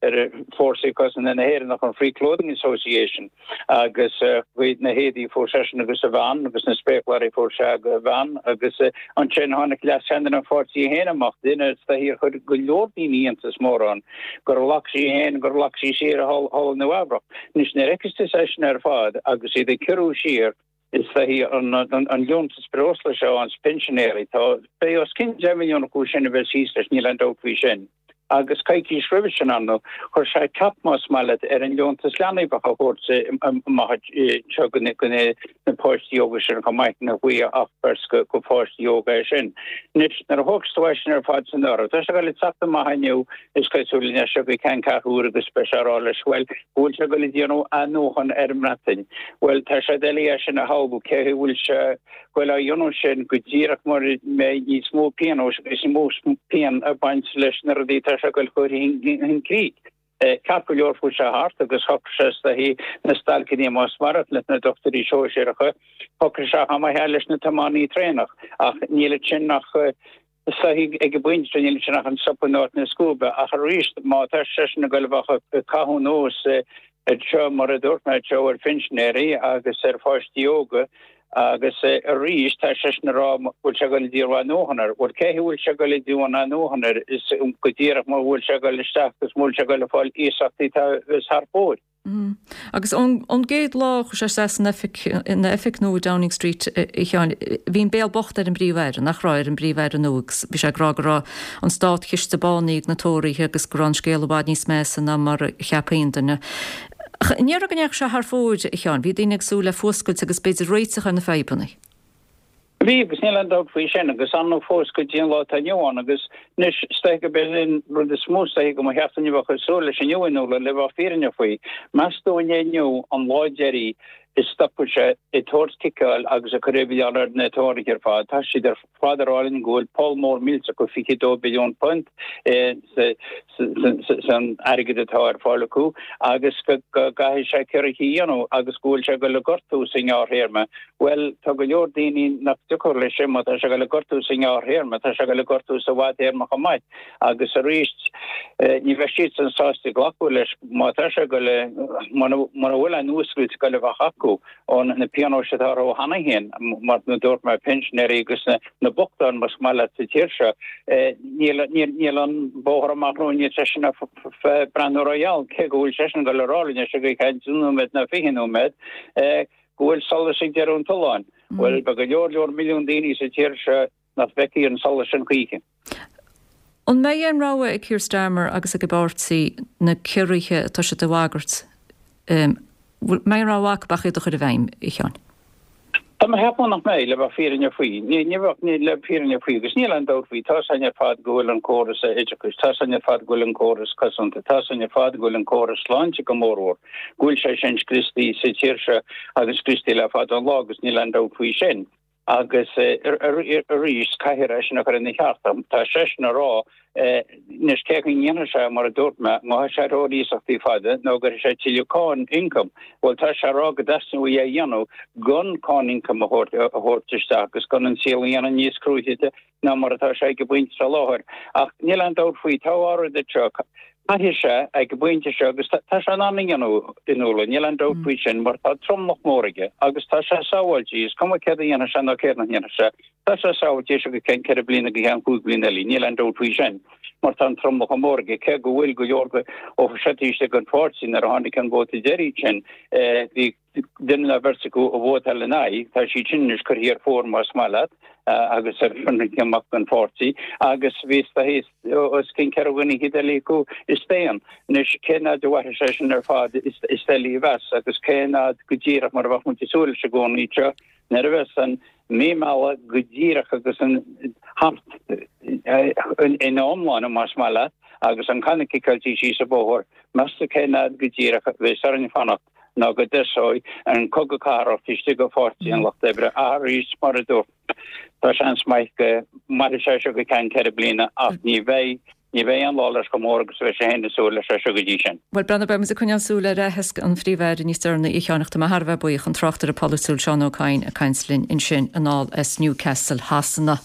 ar Fórsaí Cosanta na hÉireann ach an Free Clothing Association agus na héadaí a fuair seisean agus a bhean agus na spéacláirí a fuair sé agus a bhean agus ansin tháinig leascheannaire an pháirtí féin amach, duine is dóichí ar chuir go leor daoine iontas mór ann gur ghlac sí féin gur ghlac sí siar thall i Nua Eabhrac. Anois nuair a fheiceas tú é sin ar fad agus iad ag ciorrú siar Is dóichí an liúntas breosla seo dos na pinsinéirí, tá, beidh os cionn deich milliún acu sin a bheas thíos leis, níl aon dabht faoi sin. Agus coicís roimhe sin, ar ndóigh, chuir sé cap, más maith leat, ar an liúntas leanaí a bheadh á thabhairt amach anseo do na páistí óga sin chomh maith, nach bhfuil ach beirt de pháistí óga é sin. Anois, nuair a thógas tú é sin ar fad san áireamh, tá sé ag dul ag teacht amach inniu, is cosúil, anois go ceanncheathrú úr agus beidh sé ag rá leis, bhuel, go bhfuil sé ag dul ag déanamh athnuachan ar an mBreatain. Bhuel, tá sé doiligh é sin a shamhlú, cé chaoi bhfuil sé ag dul á dhéanamh sin go díreach mura mbeidh níos mó pionóis agus níos mó pian ag baint leis na rudaí atá sé ag dul chur chun críche. Ceart go leor fuair sé thart agus shocraigh sé is dóichí na stailceanna más maith leat na dochtúirí sóisearacha, shocraigh sé chomh maith leis na tiománaí traenach ach níl ansin ach Is dóichí ag an bpointe seo níl ansin ach an sop in áit na scuaibe, ach arís má tá seisean ag goil a bheith ag caitheamh anuas anseo, mar a dúirt mé, anseo ar phinsinéirí agus ar pháistí óga agus arís tá seisean ag rá go bhfuil sé ag goil a d'iarraidh athnuachan air. Bhuel cé a bhfuil sé ag goil a d'iarraidh athnuachan air is go díreach mura bhfuil sé ag goil isteach agus mura bhfuil sé ag goil ag fáil iasachtaí atá thar fóir. Agus ón gcéad lá a chuaigh sé isteach san oifig, ina oifig nua i Downing Street, a Sheáin, bhí an béal bocht ar an bPríomh-Aire, nach raibh, ar an bPríomh-Aire nua agus bhí sé ag rá go raibh an státchiste bánaithe ag na Tóraithe agus go raibh an scéal i bhfad níos measa ná mar a cheap aon duine. Ach an ndéarfá go ndeachaigh sé thar fóir, a Sheáin? Bhí daoine ag súil le fuascailt agus b'fhéidir réiteach ar na fadhbanna. Bhí, agus níl aon dabht faoi sin, agus ann fós go dtí an lá atá inniu ann, agus anois, is dóiche gurb é an rud is mó is dóiche go mba cheart dúinn a bheith ag súil leis inniu, Fionnuala, le bheith fírinneach faoi. Meas tú an é inniu an lá deiridh a stopfaidh sé ag tabhairt ciceáil agus ag cur milleán ar na Tóraithe ar fad? Tá siad ar fad ag rá linn go bhfuil poll mór millteach acu, fiche dó billiún punt, san airgead atá ar fáil acu agus go gcaithfidh sé ciorruithe a dhéanamh agus go bhfuil sé ag dul a gortú sa ngearrthéarma. Bhuel, tá go leor daoine nach dtiocfadh leis sin, má tá sé ag dul a gortú sa ngearrthéarma, tá sé ag dul a gortú sa bhfadtéarma chomh maith agus arís ní bheidh siadsan sásta glacadh leis má tá sé ag dul a, mura bhfuil aon fhuascailt ag dul a bheith acu ó na pionóis atá orthu cheana féin, mar a dúirt mé, pinsinéirí agus na. na bochtáin, más maith leat, sa tír seo. Níl an bóthar amach romhainn, níl seisean ag breathnú rógheal, cé go bhfuil seisean ag dul a rá linn anois i gceann deich nóiméad nó fiche nóiméad go bhfuil solas ag deireadh an tolláin. Bhuel, beidh go leor leor milliún daoine sa tír seo nach bhfeicfidh an solas sin choíche. An mbeidh aon rogha ag Keir Starmer agus ag a bpáirtí na ciorruithe atá siad a bhagairt, an mbeidh aon rogha acu ach iad a chur i bhfeidhm, a Sheáin? Tá mé ag ceapadh nach mbeidh, le bheith fírinneach faoi. Ní bheadh, ní, le fírinne faoi, agus níl aon dabht faoi, tá 's againn ar fad go bhfuil an córas oideachais, tá 's againn ar fad go bhfuil an córas cosanta, tá 's againn ar fad go bhfuil an córas sláinte go mórmhór, go bhfuil sé sin scriostaí sa tír seo agus scriostaí le fada an lá agus níl aon dabht faoi sin. Agus arís, caithfear é sin a chur ina cheart. Tá seisean ag rá Anois, cé chaoi a ndéanfaidh sé, mar a dúirt mé, an ngabhfaidh sé ar thóir iasachtaí fada nó an gcuirfidh sé tuilleadh cáin ioncaim? Bhuel, tá sé ag rá go dteastaíonn uaidh é a dhéanamh gan cáin ioncaim a thabhairt isteach agus gan an saol a dhéanamh níos cruaidhe ná mar atá sé ag an bpointe seo láthair. Ach níl aon dabht faoi, tá dhá rud anseo. Caithfidh sé, ag an bpointe seo, agus tá sé in ann a dhéanamh, Fionnuala, níl aon dabht faoi sin, mar tá tromlach mór aige agus tá sé sábháilte, is cuma céard a dhéanfaidh sé nó céard nach ndéanfaidh sé, Tá sé sábháilte go ceann ceithre bliana go ceann cúig bliana eile, níl aon dabht faoi sin, mar tá an tromlach chomh mór aige, cé go bhfuil go leor ó seirbhísigh den pháirtí nuair a tháinig an vóta deiridh sin, bhí duine nó beirt acu a vótáil ina aghaidh, tá siad sin anois curtha ar phár más maith leat agus ar amach den pháirtí agus bhí os cionn ceithre dhuine fhichead eile acu a staon. Anois cén fhad a mhairfidh sé sin ar fad is doiligh a mheas agus cén fhad go díreach mar a bheadh muid ag súil leis i gcónaí seo Nuair a bheas an mhí meala go díreach agus an thart ina iomláine, más maith leat, agus an canna ciceáilte síos an bóthar, meas tú cén fhad go díreach a bheas orainn fanacht nó go dtosóidh an cogadh cathartha istigh i bPáirtí an Lucht Oibre arís, mar a dúirt, tá seans maith go mairfidh sé seo go ceann ceithre bliana ach ní bheidh Ní bheidh an lá leis chomh mór agus a bheidh sé féin ag súil leis é seo go dtí sin. Bhuel, breathnaigh, beidh muid ag coinneáil súil ar aitheasc an Phríomh-Aire níos deireanaí a Sheáin ach tá mé thar a bheith buíoch, an tráchtaire polaitiúil Seán Ó Cadhain ag caint linn ansin anall as Newcastle Shasana.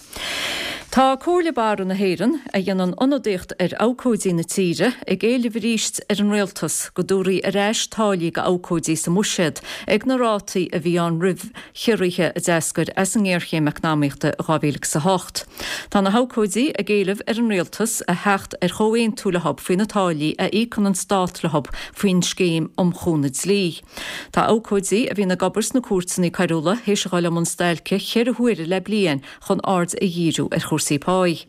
Tá Comhairle Barra na hÉireann, a dhéanann ionadaíocht ar abhcóidí na tíre, ag éileamh arís ar an Rialtas go dtabharfaí ar ais táillí d'abhcóidí sa mbuiséad ag na rátaí a bhí ann roimh chiorruithe a d'eascair as an ngéarchéim eacnamaíochta i dhá mhíle agus a hocht. Tá na habhcóidí ag éileamh ar an Rialtas a theacht ar chomhaontú leo faoi na táillí a íocann an Stát leo faoin Scéim um Chúnamh Dlí. Tá abhcóidí a bhíonn ag obair sna cúirteanna coiriúla théis a dhul i mbun stailce cheithre huaire le bliain chun aird a dhíriú ar chúrsaí páí.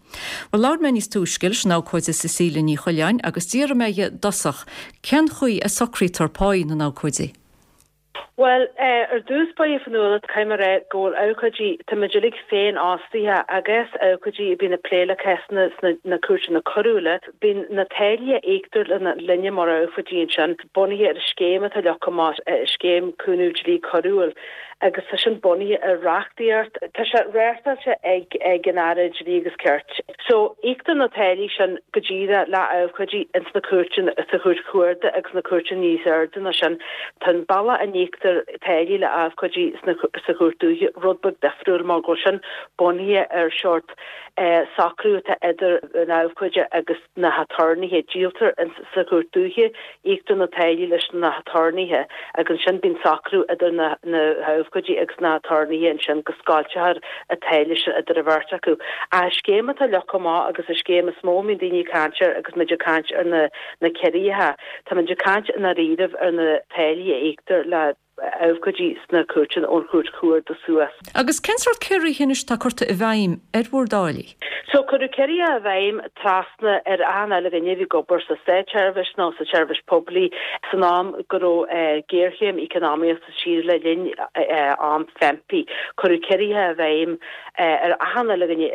Bhuel, labhair mé níos túisce leis an abhcóide Cecilia Ní Choileáin agus d'fhiafraigh mé dhi i dtosach cén chaoi a socraítear páí na n-abhcóidí. Bhuel, ar dtús báire, a Fhionnuala, caithfidh mé a rá go bhfuil abhcóidí, tá muid uilig féinfhostaithe agus abhcóidí a bhíonn ag plé le cásanna sna na cúirteanna coiriúla, bíonn na táillí a íoctar linne mar abhcóidí ansin bunaithe ar an scéim atá leagtha amach, Scéim Cúnamh Dlí Coiriúil. agus tá sin bunaithe ar reachtaíocht, tá sé reachtáilte ag ag an Aire Dlí agus Cirt. So íoctar na táillí sin go díreach le abhcóidí ins na cúirteanna, sa chúirt chuarda agus na cúirteanna níos airde ná sin. Tá an bealach a n-íoctar táillí le abhcóidí sna sa chúirt dúiche rud beag difriúil mar go bhfuil sin bunaithe ar short socrú atá idir an abhcóide agus na haturnaetha. Díoltar sa chúirt dúiche, íoctar na táillí leis na haturnaetha agus ansin bíonn socrú idir na habhcóidí agus na haturnaetha ansin go scoiltear an táille sin idir an bheirt acu. An scéim atá leagtha amach agus an scéim is mó a mbíonn daoine ag caint air agus muid ag caint ar na na ciorruithe, tá muid ag caint i ndáiríribh ar na táillí a íoctar le abhcóidí sna cúirteanna ón Chúirt Chuarda suas. Agus cén sórt ciorruithe anois atá curtha i bhfeidhm ar bhur dtáillí? So cuireadh ciorruithe i bhfeidhm trasna ar achan uile dhuine a bhí ag obair sa státseirbhís nó sa tseirbhís poiblí san am go raibh géarchéim eacnamaíoch sa tír le linn am FEMPI. Cuireadh ciorruithe i bhfeidhm ar achan uile dhuine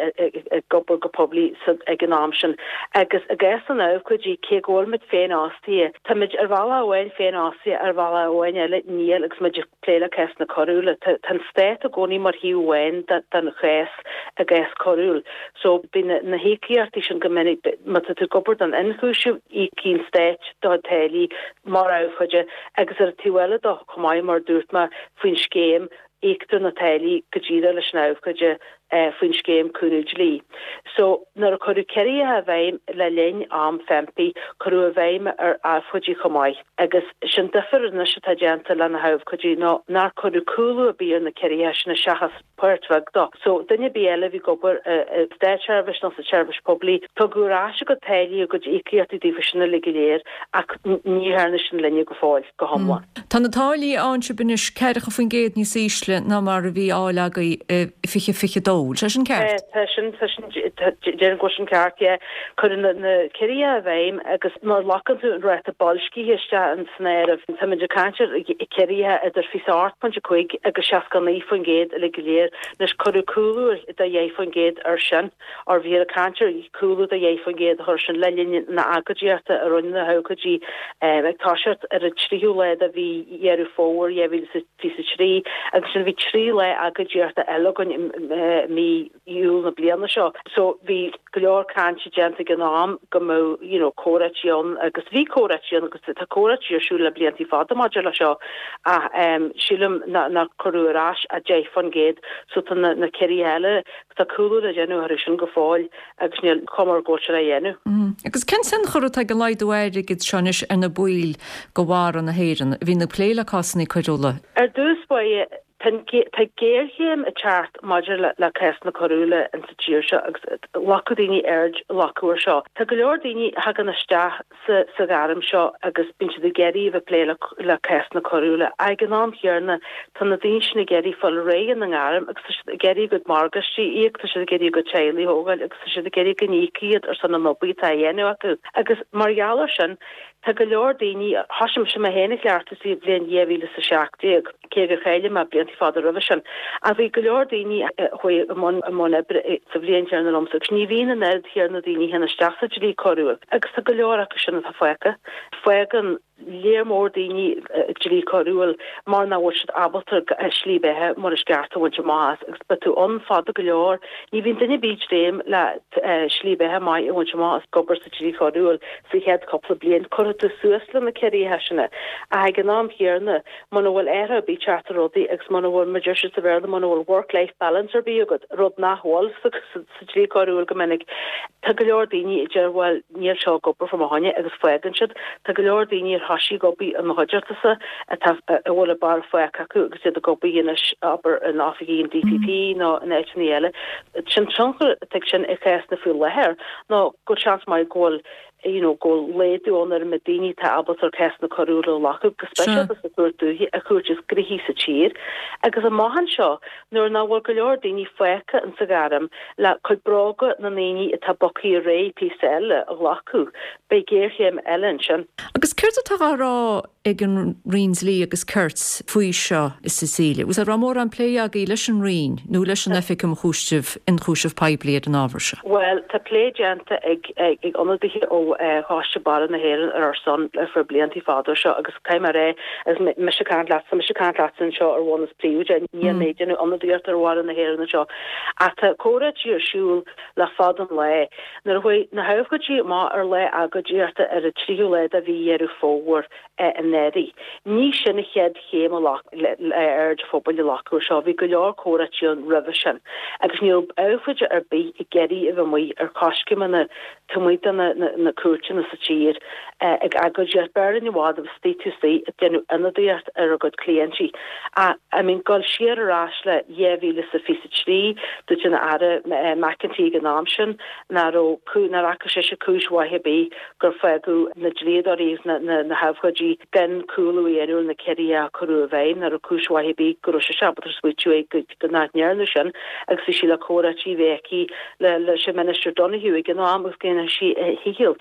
ag obair go poiblí ag an am sin. Agus i gcás na n-abhcóidí, cé go bhfuil muid féinfhostaithe, táimid ar bhealach amháin féinfhostaithe, ar bhealach amháin eile níl agus muid ag plé le cásanna coiriúla. Tá an stát i gcónaí mar thaobh amháin den chás i gcás coiriúil. So bíonn na híocaíochtaí sin go minic, má tá tú ag obair don ionchúiseamh, íocann an stát do chuid táillí mar abhcóide agus ar an taobh eile de chomh maith mar a dúirt mé faoin scéim, íoctar na táillí go díreach leis an abhcóide faoin scéim cúnamh dlí. So nuair a cuireadh ciorruithe i bhfeidhm le linn am FEMPI, cuireadh i bhfeidhm ar abhcóidí chomh maith. Agus sin difear anois atá déanta le na habhcóidí ná nár cuireadh cúlú ar bith ar na ciorruithe sin seachas páirt bheag dó. So duine ar bith eile a bhí ag obair i státseirbhís nó sa tseirbhís poiblí, tugadh ar ais a gcuid táillí, a gcuid íocaíochtaí daofa sin uilig go léir ach ní dhearna sin linne go fóill, go hiomlán. Tá na táillí a fhaigheann sibh anois ceathracha faoin gcéad níos ísle ná mar a bhí á fháil agaibh i fiche fiche dó. Bhfuil sé sin ceart? Tá sin, tá sin, déarfainn go bhfuil sin ceart, yeah. Cuireadh na, na ciorruithe i bhfeidhm agus má ghlacann tú an ráta boilscithe isteach san áireamh, táimid ag caint ar ciorruithe idir fiche a hocht pointe cúig agus seasca naoi faoin gcéad uilig go léir. Anois cuireadh cúlú de dheich faoin gcéad air sin, or bhíothar ag caint ar chúlú de dheich faoin gcéad a chur sin le linn na agóidíochta a rinne na habhcóidí ag toiseacht ar an tríú lá de mhí Dheireadh Fómhair dhá mhíle is fiche a trí agus ansin bhí trí lá agóidíochta eile againn i mí Iúil na bliana seo. So bhí go leor cainte déanta ag an am go mbeadh you know comhráití ann agus bhí comhráití ann agus tá comhráití ar siúl le blianta fada maidir le seo ach um, sílim nár cuireadh ar ais ach deich faoin gcéad so tá na, na ciorruithe eile tá cúlú le déanamh orthu sin go fóill agus níl cuma air go bhfuil sé á dhéanamh. Mm. Agus cén tionchar atá ag an laghdú airgid seo anois ar na baill de bharra na hÉireann a bhíonn ag plé le cásanna coiriúla? Ar dtús báire, tá géarchéim ag teacht maidir le cásanna coiriúla in sa tír seo agus glacadh daoine aird glacadh air seo. Tá go leor daoine a thagann isteach sa sa ghairm seo agus bíonn siad ag iarraidh a bheith ag plé le le cásanna coiriúla. Ag an am chéanna tá na daoine sin ag iarraidh fáil réidh ina ngairm agus tá siad ag iarraidh a gcuid morgáistí a íoc, tá siad ag iarraidh a gcuid teaghlaigh a thógáil agus tá siad ag iarraidh go n-íocfaí iad ar son an obair atá á dhéanamh acu. Agus mar gheall air sin, Tá go leor daoine, thosaigh mise mé féin ag cleachtadh sa bhliain dhá mhíle is a seacht déag, cé gur cháiligh mé blianta fada roimhe sin, ach bhí go leor daoine a chuaigh i mbun i mbun oibre sa bhliain chéanna liomsa agus ní bhíonn an oiread chéanna daoine a théann isteach sa dlí coiriúil agus tá go leor acu sin atá fágtha. Fágann léar mór daoine dlí coiriúil mar nach bhfuil siad ábalta slí beatha mar is ceart a bhaint amach as agus beidh tú ann fada go leor. Ní bhíonn duine ar bith ag dréim le slí beatha maith a bhaint amach as ag obair sa dlí choiriúil sa chéad cúpla bliain. Cuirfidh tú suas le na ciorruithe sin. Ach ag an am chéanna, muna bhfuil athrú ar bith ag teacht ar rudaí agus muna bhfuil, mar a deir siad sa Bhéarla, muna bhfuil work-life balance ar bith agat, rud nach bhfuil sa dlí coiriúil go minic, tá go leor daoine a deir bhuel, níl seo ag obair fá mo choinne agus fágann siad. Tá go leor daoine ar thosaigh ag obair i mo chuideachta-sa atá, a bhfuil an bar fágtha acu agus iad ag obair anois, abair, in oifigí an DPP nó in áiteanna eile. Sin tionchar atá ag sin i gcásanna faoi láthair ná go bhfuil seans maith go bhfuil you know go bhfuil laghdú ann ar an méid daoine atá ábalta cásanna coiriúla a ghlacadh, go speisialta sa Chúirt Dúiche, an chúirt is gnoithí sa tír. Agus amach anseo, nuair nach bhfuil go leor daoine fágtha in sa ghairm le cuid bróga na ndaoine atá bogtha ar aghaidh píosa eile a ghlacadh, beidh géarchéim eile ansin. Agus céard atá á rá ag an Roinn Dlí agus Cirt faoi seo, a Cecilia? An raibh mórán plé agaibh leis an Roinn nó leis an Oifig um Chúiseamh Ionchúiseamh Poiblí ar an ábhar seo? Bhuel, tá plé déanta ag ag ionadaithe ó Choiste Barra na hÉireann ar ár son ar feadh blianta fada seo agus caithfidh mé a rá agus mise ag caint leatsa, mise ag caint leatsa anseo ar bhonn is príomhoide, níl mé ag déanamh ionadaíocht ar Bharra na hÉireann anseo ach tá comhráití ar siúl le fada an lá. Nuair a chuaigh na habhcóidí amach ar lá agóidíochta ar an tríú lá de mhí Dheireadh Fómhair anuraidh, ní sin an chéad chéim a ghlac le aird an phobail a ghlacadh air seo, bhí go leor comhráití ann roimhe sin agus ní raibh abhcóide ar bith ag iarraidh a bheith amuigh ar coiscéimeanna taobh amuigh de na cúirteanna sa tír ag agóidíocht. B'fhearr linn i bhfad a bheith istigh taobh istigh ag déanamh ionadaíocht ar a gcuid cliaintí. Ach, I mean, dul siar ar ais le dhá mhíle is a fiche a trí, dúirt an Aire McEntee ag an am sin nach raibh, nár fhaca sise cúis mhaith ar bith gur fágadh na dlíodóirí agus na habhcóidí gan cúlú a dhéanamh ar na ciorruithe a cuireadh i bhfeidhm, nach raibh cúis mhaith ar bith go raibh sise ábalta smaoitiú go nach ndearnadh sin agus bhí sí le comhráití a bheith aici leis an Minister Donohoe ag an am agus go ndéanfadh sí a dhícheall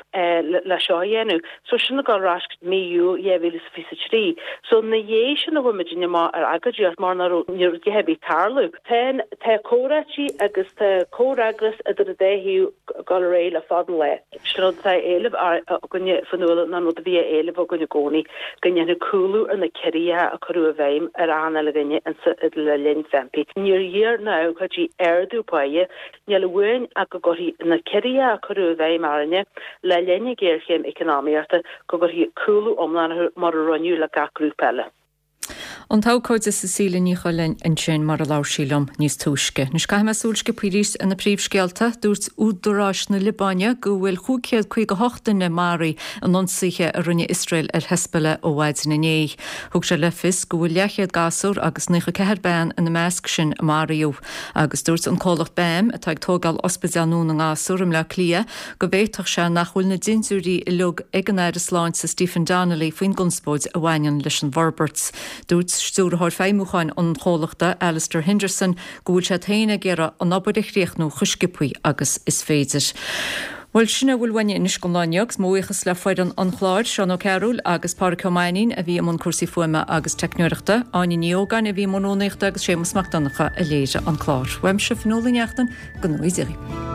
le seo a dhéanamh. So sin ag dul ar ais go mí Iúil dhá mhíle is fiche a trí. So ina dhiaidh sin a chuaigh muidinne amach ar agóidíocht mar nach raibh, ní raibh a dhath ar bith ag tarlú. Tá, tá comhráití agus tá comhfhreagras idir an dá thaobh ag dul ar aghaidh le fada an lá. Sin rud atá á éileamh againne Fionnuala ná an rud a bhí á éileamh againn i gcónaí, go ndéanfaí cúlú ar na ciorruithe a cuireadh i bhfeidhm ar achan uile dhuine le linn FEMPI. Níor iarr na habhcóidí ardú páighe, níl uainn ach go gcuirfí na ciorruithe a cuireadh i bhfeidhm orainne le linn na géarchéime eacnamaíochta, go gcuirfí cúlú iomlán orthu mar a rinneadh le gach grúpa eile. An t-abhcóide Cecilia Ní Choileáin ansin mar a labhair sí liom níos túisce. Anois caithfidh mé súil sciobtha arís ar na príomhscéalta. Dúirt údaráis na Liobáine go bhfuil chúig chéad caoga hocht duine maraithe in ionsaithe a rinne Iosrael ar Hezbollah ó mhaidin inné. Thug sé le fios go bhfuil leathchéad gasúr agus naocha ceathair bean ina measc sin a maraíodh. Agus dúirt an comhlacht BAM, atá ag tógáil ospidéal nua na ngasúr i mBleá Cliath, go bhféadfadh sé nach bhfuil na dintiúirí uilig ag an Aire Sláinte Stephen Donnelly faoin gconspóid a bhaineann leis an bhforbairt. Dúirt Stiúrthóir Feidhmiúcháin an chomhlachta, Alistair Henderson, go bhfuil siad féin ag iarraidh an obair a chríochnú chomh sciobtha agus is féidir. Bhuel, sin a bhfuil uainne anois don lá inniu agus mo bhuíochas le foireann an chláir, Seán Ó Cearúil agus Pádraic Ó Mainnín a bhí i mbun cúrsaí fuaime agus teicneoireachta, Áine Ní Ógáin a bhí i mbun rúnaíochta agus Séamus Mac Donncha a léirigh an clár. Uaimse, Fionnuala Ní Neachtain, go ngnóthaí Dia dhaoibh.